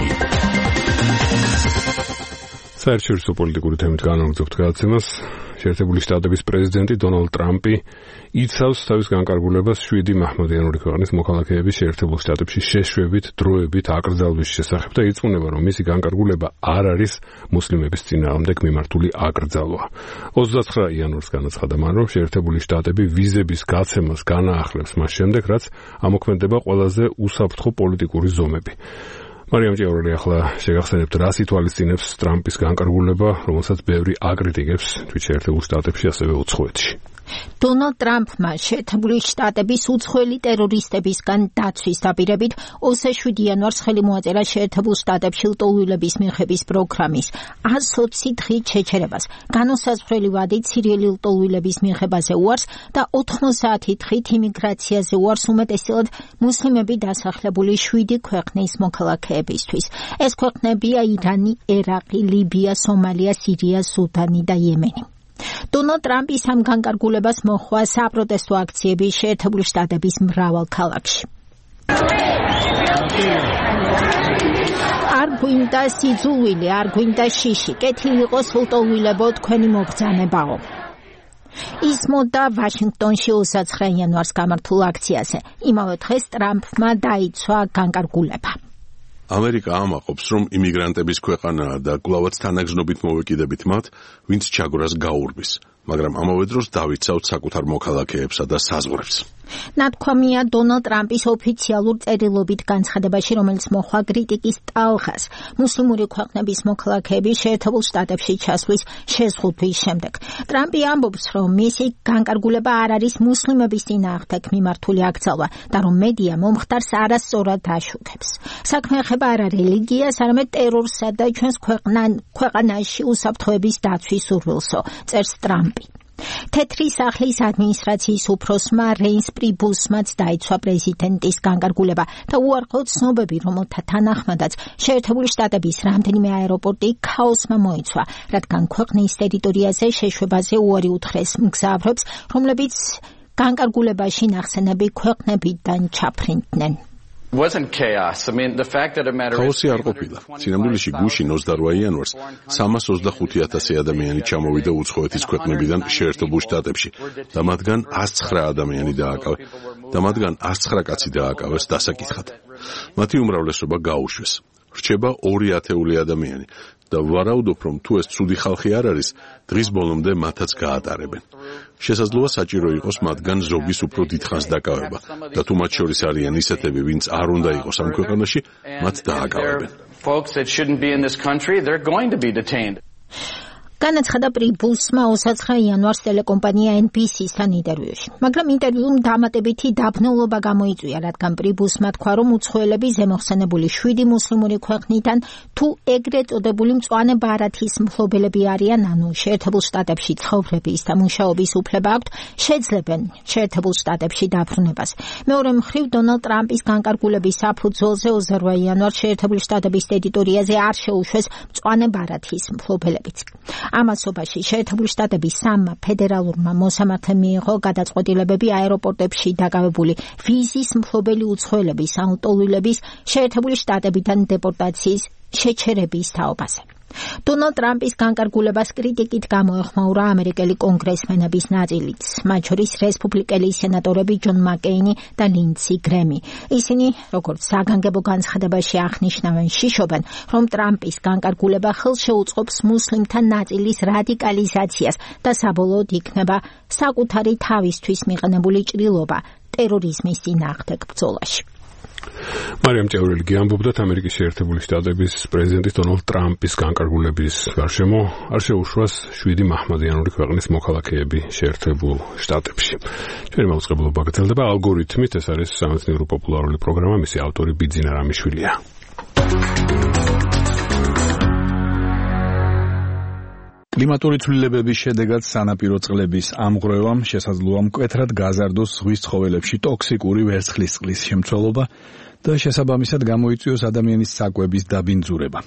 საერთაშორისო პოლიტიკური თემით განაგრძობთ გადაცემას. შეერთებული შტატების პრეზიდენტი დონალდ ტრამპი იცავს თავის განკარგულებას შვიდი მაჰმადიანური ქვეყნის მოქალაქეების შეერთებულ შტატებში შეშვებით დროებით აკრძალვის შესახებ და ირწმუნება, რომ მისი განკარგულება არ არის მუსლიმების წინააღმდეგ მიმართული აკრძალვა. ოცდაცხრა იანვარს განაცხადა მან, რომ შეერთებული შტატები ვიზების გაცემას განაახლებს მას შემდეგ, რაც ამოქმედება ყველაზე უსაფრთხო პოლიტიკური ზომები. მარიამ ჭიაურელი ახლა შეგახსენებთ, რას ითვალისწინებს ტრამპის განკარგულება, რომელსაც ბევრი აკრიტიკებს თვით შეერთებულ შტატებში, ასევე უცხოეთში. დონალდ ტრამპმა შეერთებული შტატების უცხოელი ტერორისტებისგან დაცვის დაპირებით ოცდაშვიდი იანვარს ხელი მოაწერა შეერთებულ შტატებში ლტოლვილების მიღების პროგრამის ას ოცი დღით შეჩერებას, განუსაზღვრელი ვადით სირიელი ლტოლვილების მიღებაზე უარს და ოთხმოცდაათი დღით იმიგრაციაზე უარს უმეტესწილად მუსლიმები დასახლებული შვიდი ქვეყნის მოქალაქეებისთვის. ეს ქვეყნებია ირანი, ერაყი, ლიბია, სომალია, სირია, სუდანი და იემენი. დონალდ ტრამპის ამ განკარგულებას მოჰყვა საპროტესტო აქციები შეერთებული შტატების მრავალ ქალაქში. არ გვინდა სიძულვილი, არ გვინდა შიში, კეთილი იყოს ლტოლვილებო თქვენი მობრძანებაო. ისმოდა ვაშინგტონში ოცდაცხრა იანვარს გამართულ აქციაზე. იმავე დღეს ტრამპმა დაიცვა განკარგულება. ამერიკა ამაყობს, რომ იმიგრანტების ქვეყანაა და კვლავაც თანაგზნობით მოვეკიდებით მათ, ვინც ჩაგვრას გაურბის, მაგრამ ამავე დროს დავიცავთ საკუთარ მოქალაქეებსა და საზღვრებს. ნათქვამია დონალდ ტრამპის ოფიციალურ წერილობით განცხადებაში, რომელიც მოჰყვა კრიტიკის ტალღას მუსლიმური ქვეყნების მოქალაქეების შეერთებულ შტატებში ჩასვლის შეზღუდვის შემდეგ. ტრამპი ამბობს, რომ მისი განკარგულება არ არის მუსლიმების წინააღმდეგ მიმართული აკრძალვა და რომ მედია მომხდარს არასწორად აშუქებს. საქმე ეხება არა რელიგიას, არამედ ტერორსა და ჩვენს ქვეყანაში უსაფრთხოების დაცვის სურვილსო, წერს ტრამპი. თეთრი სახლის ადმინისტრაციის უფროსმა რეინს პრიბუსმაც დაიცვა პრეზიდენტის განკარგულება და უარყო ცნობები, რომელთა თანახმადაც შეერთებული შტატების რამდენიმე აეროპორტი ქაოსმა მოიცვა, რადგან ქვეყნის ტერიტორიაზე შეშვებაზე უარი უთხრეს მგზავრებს, რომლებიც განკარგულებაში ნახსენები ქვეყნებიდან ჩაფრინდნენ. ქაოსი არ ყოფილა. სინამდვილეში გუშინ ოცდარვა იანვარს სამას ოცდახუთი ათასი ადამიანი ჩამოვიდა უცხოეთის ქვეყნებიდან შეერთებულ შტატებში და მათგან ას ცხრა ადამიანი დააკავეს და მათგან ას ცხრა კაცი დააკავეს დასაკითხად. მათი უმრავლესობა გაუშვეს. რჩება ორი ათეული ადამიანი და ვარაუდობ, რომ თუ ეს ცუდი ხალხი არ არის, დღის ბოლომდე მათაც გაატარებენ. შესაძლოა საჭირო იყოს მათგან ზოგის უფრო დიდხანს დაკავება და თუ მათ შორის არიან ისეთები, ვინც არ უნდა იყოს ამ ქვეყანაში, მათ დააკავებენ. განაცხადა პრიბუსმა ოცდაცხრა იანვარს ტელეკომპანია ენ ბი სი-სთან ინტერვიუში. მაგრამ ინტერვიუმ დამატებითი დაბნელობა გამოიწვია, რადგან პრიბუსმა თქვა, რომ უცხოელები ზემოხსენებული შვიდი მუსლიმური ქვეყნიდან თუ ეგრეთ წოდებული მწვანე ბარათის მფლობელები არიან, ანუ შეერთებულ შტატებში ცხოვრების და მუშაობის უფლება აქვთ, შეძლებენ შეერთებულ შტატებში დაბრუნებას. მეორე მხრივ, დონალდ ტრამპის განკარგულების საფუძველზე ოცდარვა იანვარს შეერთებული შტატების ტერიტორიაზე არ შეუშვეს მწვანე ბარათის მფლობელებიც. ამასობაში შეერთებული შტატების სამმა ფედერალურმა მოსამართლემ მიიღო გადაწყვეტილებები აეროპორტებში დაკავებული ვიზის მფლობელი უცხოელების ან ლტოლვილების შეერთებული შტატებიდან დეპორტაციის შეჩერების თაობაზე. დონალდ ტრამპის განკარგულებას კრიტიკით გამოეხმაურა ამერიკელი კონგრესმენების ნაწილიც, მათ შორის რესპუბლიკელი სენატორები ჯონ მაკეინი და ლინდსი გრემი. ისინი, როგორც საგანგებო განცხადებაში აღნიშნავენ, შიშობენ, რომ ტრამპის განკარგულება ხელს შეუწყობს მუსლიმთა ნაწილის რადიკალიზაციას და საბოლოოდ იქნება საკუთარი თავისთვის მიყენებული ჭრილობა ტერორიზმის წინააღმდეგ ბრძოლაში. მარიამ ჭიაურელი ამბობდათ, ამერიკის შეერთებული შტატების პრეზიდენტის დონალდ ტრამპის განკარგულების გარშემო არ შეუშვას შვიდი მაჰმადიანური ქვეყნის მოქალაქეები შეერთებულ შტატებში. ჩვენი მაუწყებლობა გრძელდება ალგორითმით, ეს არის სამეცნიერო პოპულარული პროგრამა, მისი ავტორი ბიძინა რამიშვილია. კლიმატური ცვლილებების შედეგად სანაპირო წყლების ამღვრევამ შესაძლოა მკვეთრად გაზარდოს ზღვის ცხოველებში ტოქსიკური ვერცხლისწყლის შემცველობა და შესაბამისად გამოიწვიოს ადამიანის საკვების დაბინძურება.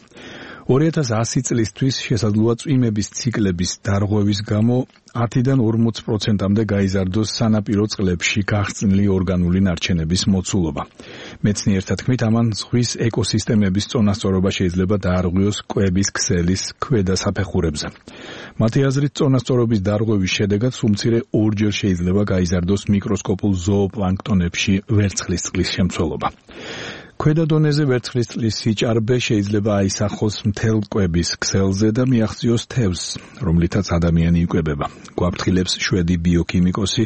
ორი ათას ასი წლისთვის შესაძლოა წვიმების ციკლების დარღვევის გამო ათიდან ორმოც პროცენტამდე გაიზარდოს სანაპირო წყლებში გახსნილი ორგანული ნარჩენების მოცულობა. მეცნიერთა თქმით, ამან ზღვის ეკოსისტემების წონასწორობა შეიძლება დაარღვიოს კვების ქსელის ქვედა საფეხურებზე. მათი აზრით, წონასწორობის დარღვევის შედეგად სულ მცირე ორჯერ შეიძლება გაიზარდოს მიკროსკოპულ ზოოპლანქტონებში ვერცხლის წყლის შემცველობა. ქვედა დონეზე ვერცხლის წყლის სიჭარბე შეიძლება აისახოს მთელ კვების ქსელზე და მიაღწიოს თევზს, რომლითაც ადამიანი იკვებება. გვაფრთხილებს შვედი ბიოქიმიკოსი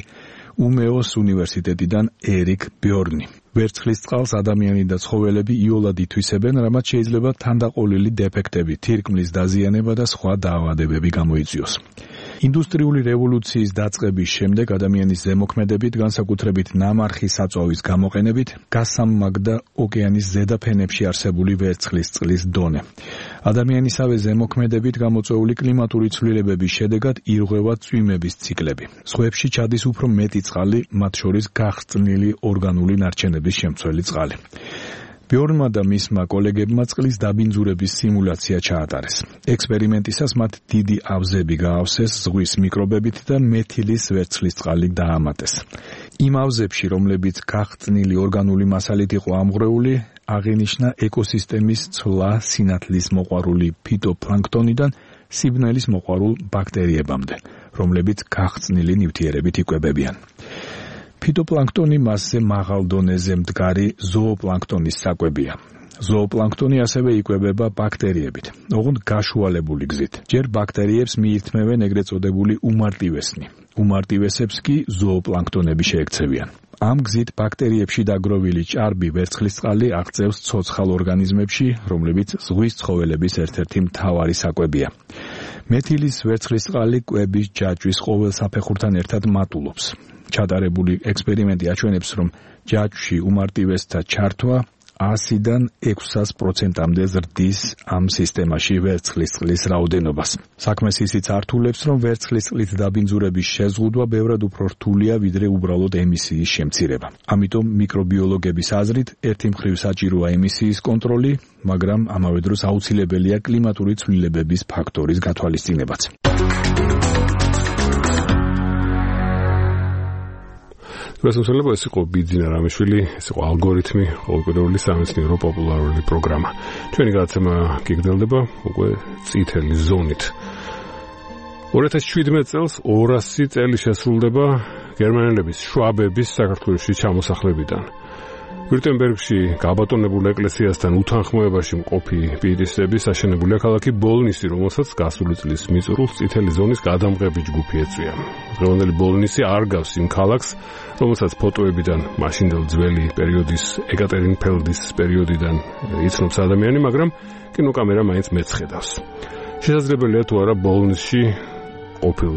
უმეოს უნივერსიტეტიდან ერიკ ბიორნი. ვერცხლის წყალს ადამიანი და ცხოველები იოლად ითვისებენ, რამაც შეიძლება თანდაყოლილი დეფექტები, თირკმლის დაზიანება და სხვა დაავადებები გამოიწვიოს. ინდუსტრიული რევოლუციის დაწყების შემდეგ ადამიანის ზემოქმედებით, განსაკუთრებით ნამარხი საწვავის გამოყენებით, გასამაგდა ოკეანის ზედაფენებში არსებული ვერცხლის წყლის დონე. ადამიანისავე ზემოქმედებით გამოწვეული კლიმატური ცვლილებების შედეგად ირღვევა წვიმების ციკლები. ზღვებში ჩადის უფრო მეტი წყალი, მათ შორის გახრწნილი ორგანული ნარჩენების შემცველი წყალი. ბიორნმა და მისმა კოლეგებმა წყლის დაბინძურების სიმულაცია ჩაატარეს. ექსპერიმენტისას მათ დიდი ავზები გაავსეს ზღვის მიკრობებით და მეთილის ვერცხლის წყალი დაამატეს. იმ ავზებში, რომლებიც გახრწნილი ორგანული მასალით იყო ამღვრეული, აღინიშნა ეკოსისტემის ცვლა სინათლის მოყვარული ფიტოპლანქტონიდან სიბნელის მოყვარულ ბაქტერიებამდე, რომლებიც გახრწნილი ნივთიერებით იკვებებიან. ფიტოპლანქტონი მასზე მაღალ დონეზე მდგარი ზოოპლანქტონის საკვებია. ზოოპლანქტონი ასევე იკვებება ბაქტერიებით, ოღონდ გაშუალებული გზით. ჯერ ბაქტერიებს მიირთმევენ ეგრეთ წოდებული უმარტივესნი. უმარტივესებს კი ზოოპლანქტონები შეექცევიან. ამ გზით ბაქტერიებში დაგროვილი ჭარბი ვერცხლის წყალი აღწევს ცოცხალ ორგანიზმებში, რომლებიც ზღვის ცხოველების ერთ-ერთი მთავარი საკვებია. მეთილის ვერცხლის წყალი კვების ჯაჭვის ყოველ საფეხურთან ერთად მატულობს. ჩატარებული ექსპერიმენტი აჩვენებს, რომ ჯაჭვში უმარტივესთა ჩართვა ასიდან ექვსას პროცენტამდე ზრდის ამ სისტემაში ვერცხლის წყლის რაოდენობას. საქმეს ისიც ართულებს, რომ ვერცხლის წყლით დაბინძურების შეზღუდვა ბევრად უფრო რთულია, ვიდრე უბრალოდ ემისიის შემცირება. ამიტომ მიკრობიოლოგების აზრით, ერთი მხრივ საჭიროა ემისიის კონტროლი, მაგრამ ამავე დროს აუცილებელია კლიმატური ცვლილებების ფაქტორის გათვალისწინებაც. გასულება ეს იყო ბიძინა რამიშვილი, ეს იყო ალგორითმი, ყოველკვირეული სამეცნიერო პოპულარული პროგრამა. ჩვენი გადაცემა გიგრძელდება უკვე წითელი ზონით. ორი ათას შვიდმეტ წელს ორასი წელი შესრულდება გერმანელების შვაბების საქართველოში ჩამოსახლებიდან. ვირტემბერგში გაბატონებულ ეკლესიასთან უთანხმოებაში მყოფი პირისების აშენებულია ქალაქი ბოლნისი, რომელსაც გასული წლის მიწურულს წითელი ზონის გადამღები ჯგუფი ეწვია. დღევანდელი ბოლნისი არ გავს იმ ქალაქს, რომელსაც ფოტოებიდან მაშინდელ ძველი პერიოდის ეკატერინფელდის პერიოდიდან იცნობს ადამიანი, მაგრამ კინოკამერა მაინც მეცხედავს. შესაძლებელია თუ არა ბოლნისში ყოფილ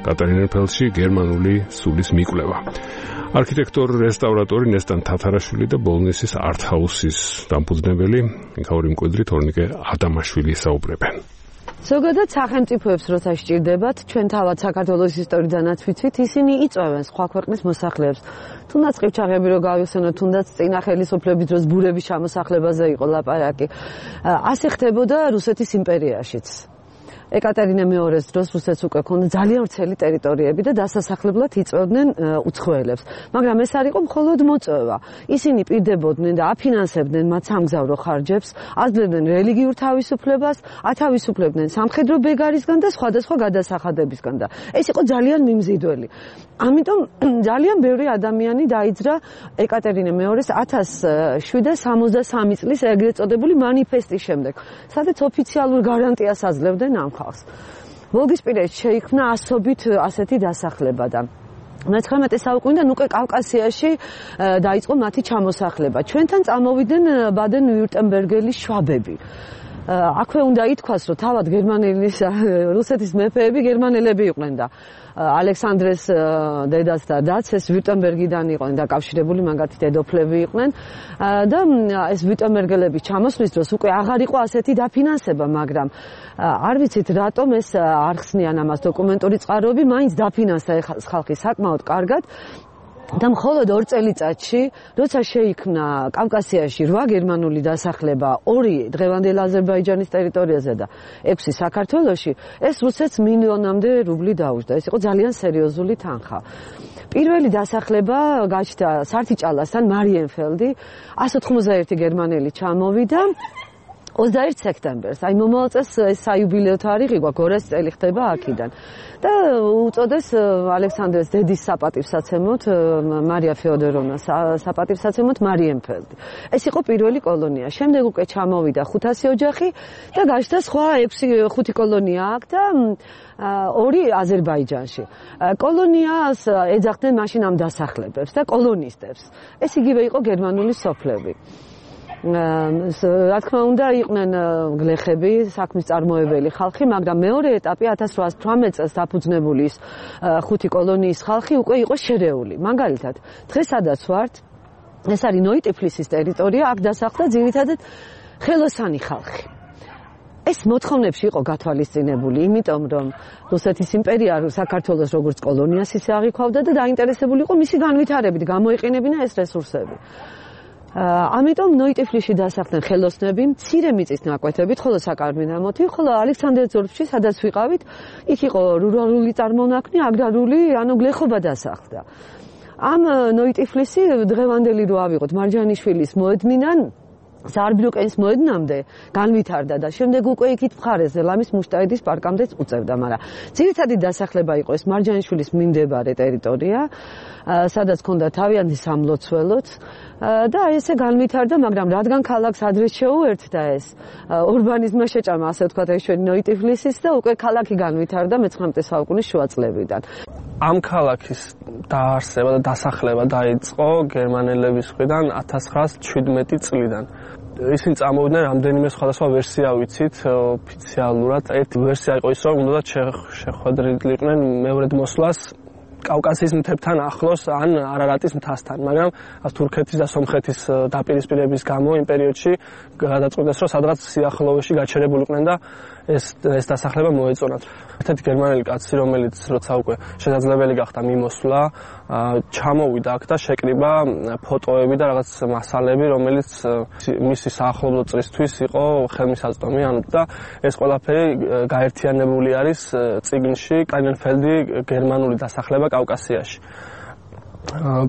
კატერინფელდში გერმანული სულის მიკვლევა. არქიტექტორი, რესტავრატორი ნესტან თათარაშვილი და ბოლნისის არტ-ჰაუსის დამფუძნებელი მიხაური მკვიდრი თორნიკე ადამაშვილი საუბრებენ. ზოგადად სახელმწიფოებს როცა სჭირდებათ, ჩვენ თავად საქართველოს ისტორიიდანაც ვიცით, ისინი იწვევენ სხვა ქვეყნის მოსახლეებს. თუნდაც ყივჩაღები რო გავიხსენოთ, თუნდაც წინა ხელისუფლების დროს ბურების ჩამოსახლებაზე იყო ლაპარაკი. ასე ხდებოდა რუსეთის იმპერიაშიც. ეკატერინე მეორის დროს რუსეთს უკვე ქონდა ძალიან ვრცელი ტერიტორიები და დასასახლებლად იწვევდნენ უცხოელებს. მაგრამ ეს არ იყო მხოლოდ მოწვევა. ისინი პირდებოდნენ და აფინანსებდნენ მათ სამგზავრო ხარჯებს, აძლევდნენ რელიგიურ თავისუფლებას, ათავისუფლებდნენ სამხედრო ბეგარისგან და სხვადასხვა გადასახადებისგან და ეს იყო ძალიან მიმზიდველი. ამიტომ ძალიან ბევრი ადამიანი დაიძრა ეკატერინე მეორის ათას შვიდსათ სამოცდასამი წლის ეგრეთ წოდებული მანიფესტის შემდეგ, სადაც ოფიციალურ გარანტიას აძლევდნენ ამ ხალხს. ვოლგისპირეთში შეიქმნა ასობით ასეთი დასახლება და მეცხრამეტე საუკუნიდან უკვე კავკასიაში დაიწყო მათი ჩამოსახლება. ჩვენთან წამოვიდნენ ბადენ-ვიურტემბერგელის შვაბები. აქვე უნდა ითქვას, რომ თავად გერმანელის რუსეთის მეფეები გერმანელები იყვნენ და ალექსანდრეს დედაც და დაც ეს ვიურტემბერგიდან იყვნენ დაკავშირებული, მაგათი დედოფლები იყვნენ და ეს ვიურტემბერგელების ჩამოსვლის დროს უკვე აღარ იყო ასეთი დაფინანსება, მაგრამ არ ვიცით რატომ ეს არ ხსნიან ამას დოკუმენტური წყაროები, მაინც დაფინანსდა ხალხი საკმაოდ კარგად. და მხოლოდ ორ წელიწადში, როცა შეიქმნა კავკასიაში რვა გერმანული დასახლება, ორი დღევანდელ აზერბაიჯანის ტერიტორიაზე და ექვსი საქართველოში, ეს რუსეთს მილიონამდე რუბლი დაუჯდა. ეს იყო ძალიან სერიოზული თანხა. პირველი დასახლება გაჩნდა სართიჭალასთან მარიენფელდი, one eighty-one გერმანელი ჩამოვიდა ოცდაერთი სექტემბერს, აი მომავალ წელს ეს საიუბილეო თარიღი გვაქვს, ორას წელი ხდება აქედან. და უწოდეს ალექსანდრეს დედის საპატივსაცემოთ, მარია ფეოდოროვნას საპატივსაცემოთ მარიენფელდი. ეს იყო პირველი კოლონია. შემდეგ უკვე ჩამოვიდა ხუთასი ოჯახი და გაჩნდა სხვა ექვსი ხუთი კოლონია აქ და ორი აზერბაიჯანში. კოლონიას ეძახდნენ მაშინ ამ დასახლებებს და კოლონისტებს. ეს იგივე იყო გერმანული სოფლები. რა თქმა უნდა იყვნენ გლეხები, საქმის წარმოებელი ხალხი, მაგრამ მეორე ეტაპი one thousand eight hundred eighteen წელს დაფუძნებული ის ხუთი კოლონიის ხალხი უკვე იყო შერეული. მაგალითად, დღეს სადაც ვართ, ეს არის ნოიტიფლისის ტერიტორია, აქ დასახლდა ძირითადად ხელოსანი ხალხი. ეს მოთხოვნებში იყო გათვალისწინებული, იმიტომ რომ რუსეთის იმპერია საქართველოს როგორც კოლონიას ისე აღიქვავდა და დაინტერესებული იყო მისი განვითარებით, გამოიყენებინა ეს რესურსები. ამიტომ ნოიტიფლიში დასახლდნენ ხელოსნები, მცირე მიწის ნაკვეთებით, ხოლო საკარმინამოთი, ხოლო ალექსანდრე ძორფში, სადაც ვიყავით, იქ იყო რურალური წარმონაქმნი, აგრარული, ანუ გლეხობა დასახლდა. ამ ნოიტიფლისი დღევანდელი რო ავიღოთ მარჯანიშვილის მოედნიდან ზაარბრიუკენის მოედნამდე განვითარდა და შემდეგ უკვე იქით მხარეს ზელამის მუშტაედის პარკამდეც უწევდა, მაგრამ ძირითადი დასახლება იყო ეს მარჯანიშვილის მიმდებარე ტერიტორია, სადაც ჰქონდა თავიანთი სამლოცველოც და ესე განვითარდა, მაგრამ რადგან ქალაქს ადრე შეუერთდა ეს ურბანიზმმა შეჭამა, ასე ვთქვათ, ეს ჩვენი ნოიტიფლისის და უკვე ქალაქი განვითარდა მეცხრამეტე საუკუნის შუა წლებიდან. ამ ქალაქის დაარსება და დასახლება დაიწყო გერმანელების მხრიდან one thousand nine hundred seventeen წლიდან. ისინი წამოვიდნენ რამდენიმე სხვადასხვა ვერსია ვიცით ოფიციალურად. ერთი ვერსია იყო ის, რომ უნდა შეხვედრილიყვნენ მეორედ მოსვლას კავკასიის მთებთან ახლოს ან არარატის მთასთან, მაგრამ თურქეთის და სომხეთის დაპირისპირების გამო იმ პერიოდში გადაწყვიტეს, რომ სადღაც სიახლოვეში გაჩერებულიყვნენ და ეს ეს დასახლება მოეწონათ. ერთ-ერთი გერმანელი კაცი, რომელიც როცა უკვე შესაძლებელი გახდა მიმოსვლა, ჩამოვიდა აქ და შეკრიბა ფოტოები და რაღაც მასალები, რომელიც მისი საახლობლო წრისთვის იყო ხელმისაწვდომი, ანუ და ეს ყველაფერი გაერთიანებული არის წიგნში კაინენფელდი გერმანული დასახლება კავკასიაში.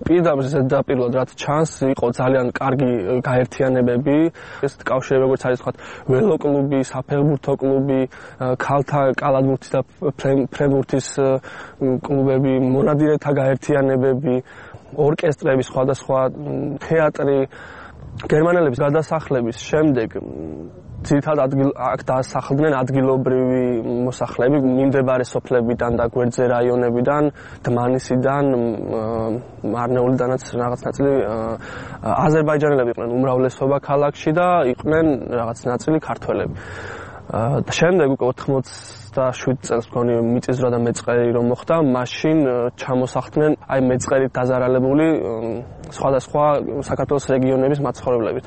პირდაპირ ზედაპირულად რაც ჩანს, იყო ძალიან კარგი გაერთიანებები, ეს კავშირი როგორც არის თქვა ველოკლუბი, საფეხბურთო კლუბი, ქალთა კალათბურთის და ფრენბურთის კლუბები, მონადირეთა გაერთიანებები, ორკესტრები, სხვადასხვა თეატრი. გერმანელების გადასახლების შემდეგ ძირითადად ადგილ აქ დასახლდნენ ადგილობრივი მოსახლეები მიმდებარე სოფლებიდან და გვერდზე რაიონებიდან, დმანისიდან, მარნეულიდანაც რაღაც ნაწილი აზერბაიჯანელები იყვნენ უმრავლესობა ქალაქში და იყვნენ რაღაც ნაწილი ქართველები. და შემდეგ უკვე ოთხმოცდაშვიდ წელს მგონი მიწისძვრა და მეწყერი რომ მოხდა, მაშინ ჩამოსახლდნენ აი მეწყერით დაზარალებული სხვადასხვა საქართველოს რეგიონების მაცხოვრებლებით.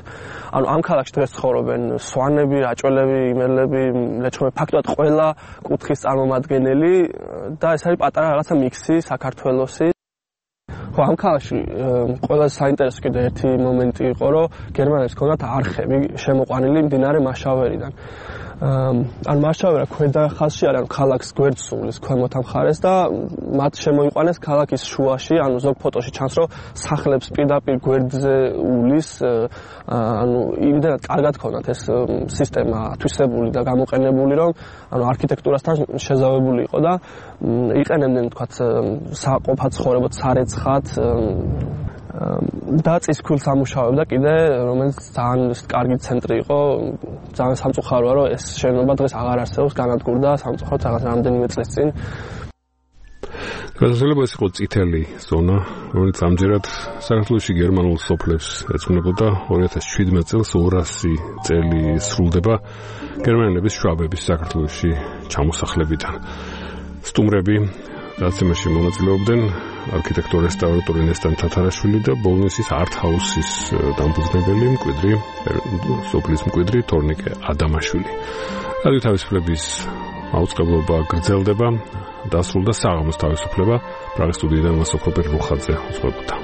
ანუ ამ ქალაქში დღეს ცხოვრობენ სვანები, რაჭველები, იმერლები, ლეჩხუმები, ფაქტობრივად ყველა კუთხის წარმომადგენელი და ეს არის პატარა რაღაცა მიქსი საქართველოსი. ხო, ამ ქალაქში ყველაზე საინტერესო კიდე ერთი მომენტი იყო, რომ გერმანელებს ჰქონდათ არხები შემოყვანილი მდინარე მაშავერიდან. ან მაშავერა ქვედა ხაზში არის, ანუ ქალაქს გვერდს სულის ქვემოთ მხარეს და მათ შემოიყვანეს ქალაქის შუაში, ანუ ზოგ ფოტოში ჩანს, რომ სახლებს პირდაპირ გვერდზე ულის, ანუ იმდენად კარგად ჰქონდათ ეს სისტემა ათვისებული და გამოყენებული, რომ ანუ არქიტექტურასთან შეზავებული იყო და იყენებდნენ თქვათ საყოფად ცხოვრებად სარეცხად და წისქვილს ამუშავებდა კიდე, რომელიც ძალიან კარგი ცენტრი იყო, ძალიან სამწუხაროა, რომ ეს შენობა დღეს აღარ არსებობს, განადგურდა სამწუხაროდ რაღაც რამდენიმე წლის წინ. გასასვლელად ეს იყო წითელი ზონა, რომელიც ამჯერად საქართველოში გერმანულ სოფლებს ეძღვნებოდა. two thousand seventeen წელს ორასი წელი სრულდება გერმანელების შვაბების საქართველოში ჩამოსახლებიდან. სტუმრები დაცემაში მონაწილეობდნენ არქიტექტორ-რესტავრატორი ნესტან თათარაშვილი და ბოლნისის არტ-ჰაუსის დამფუძნებელი მკვიდრი სოფლის მკვიდრი თორნიკე ადამაშვილი. რადიო თავისუფლების მაუწყებლობა გრძელდება, დასრულდა საღამოს თავისუფლება. პრაღის სტუდიიდან მასოფროპერ რუხაძე უძღვებოდა.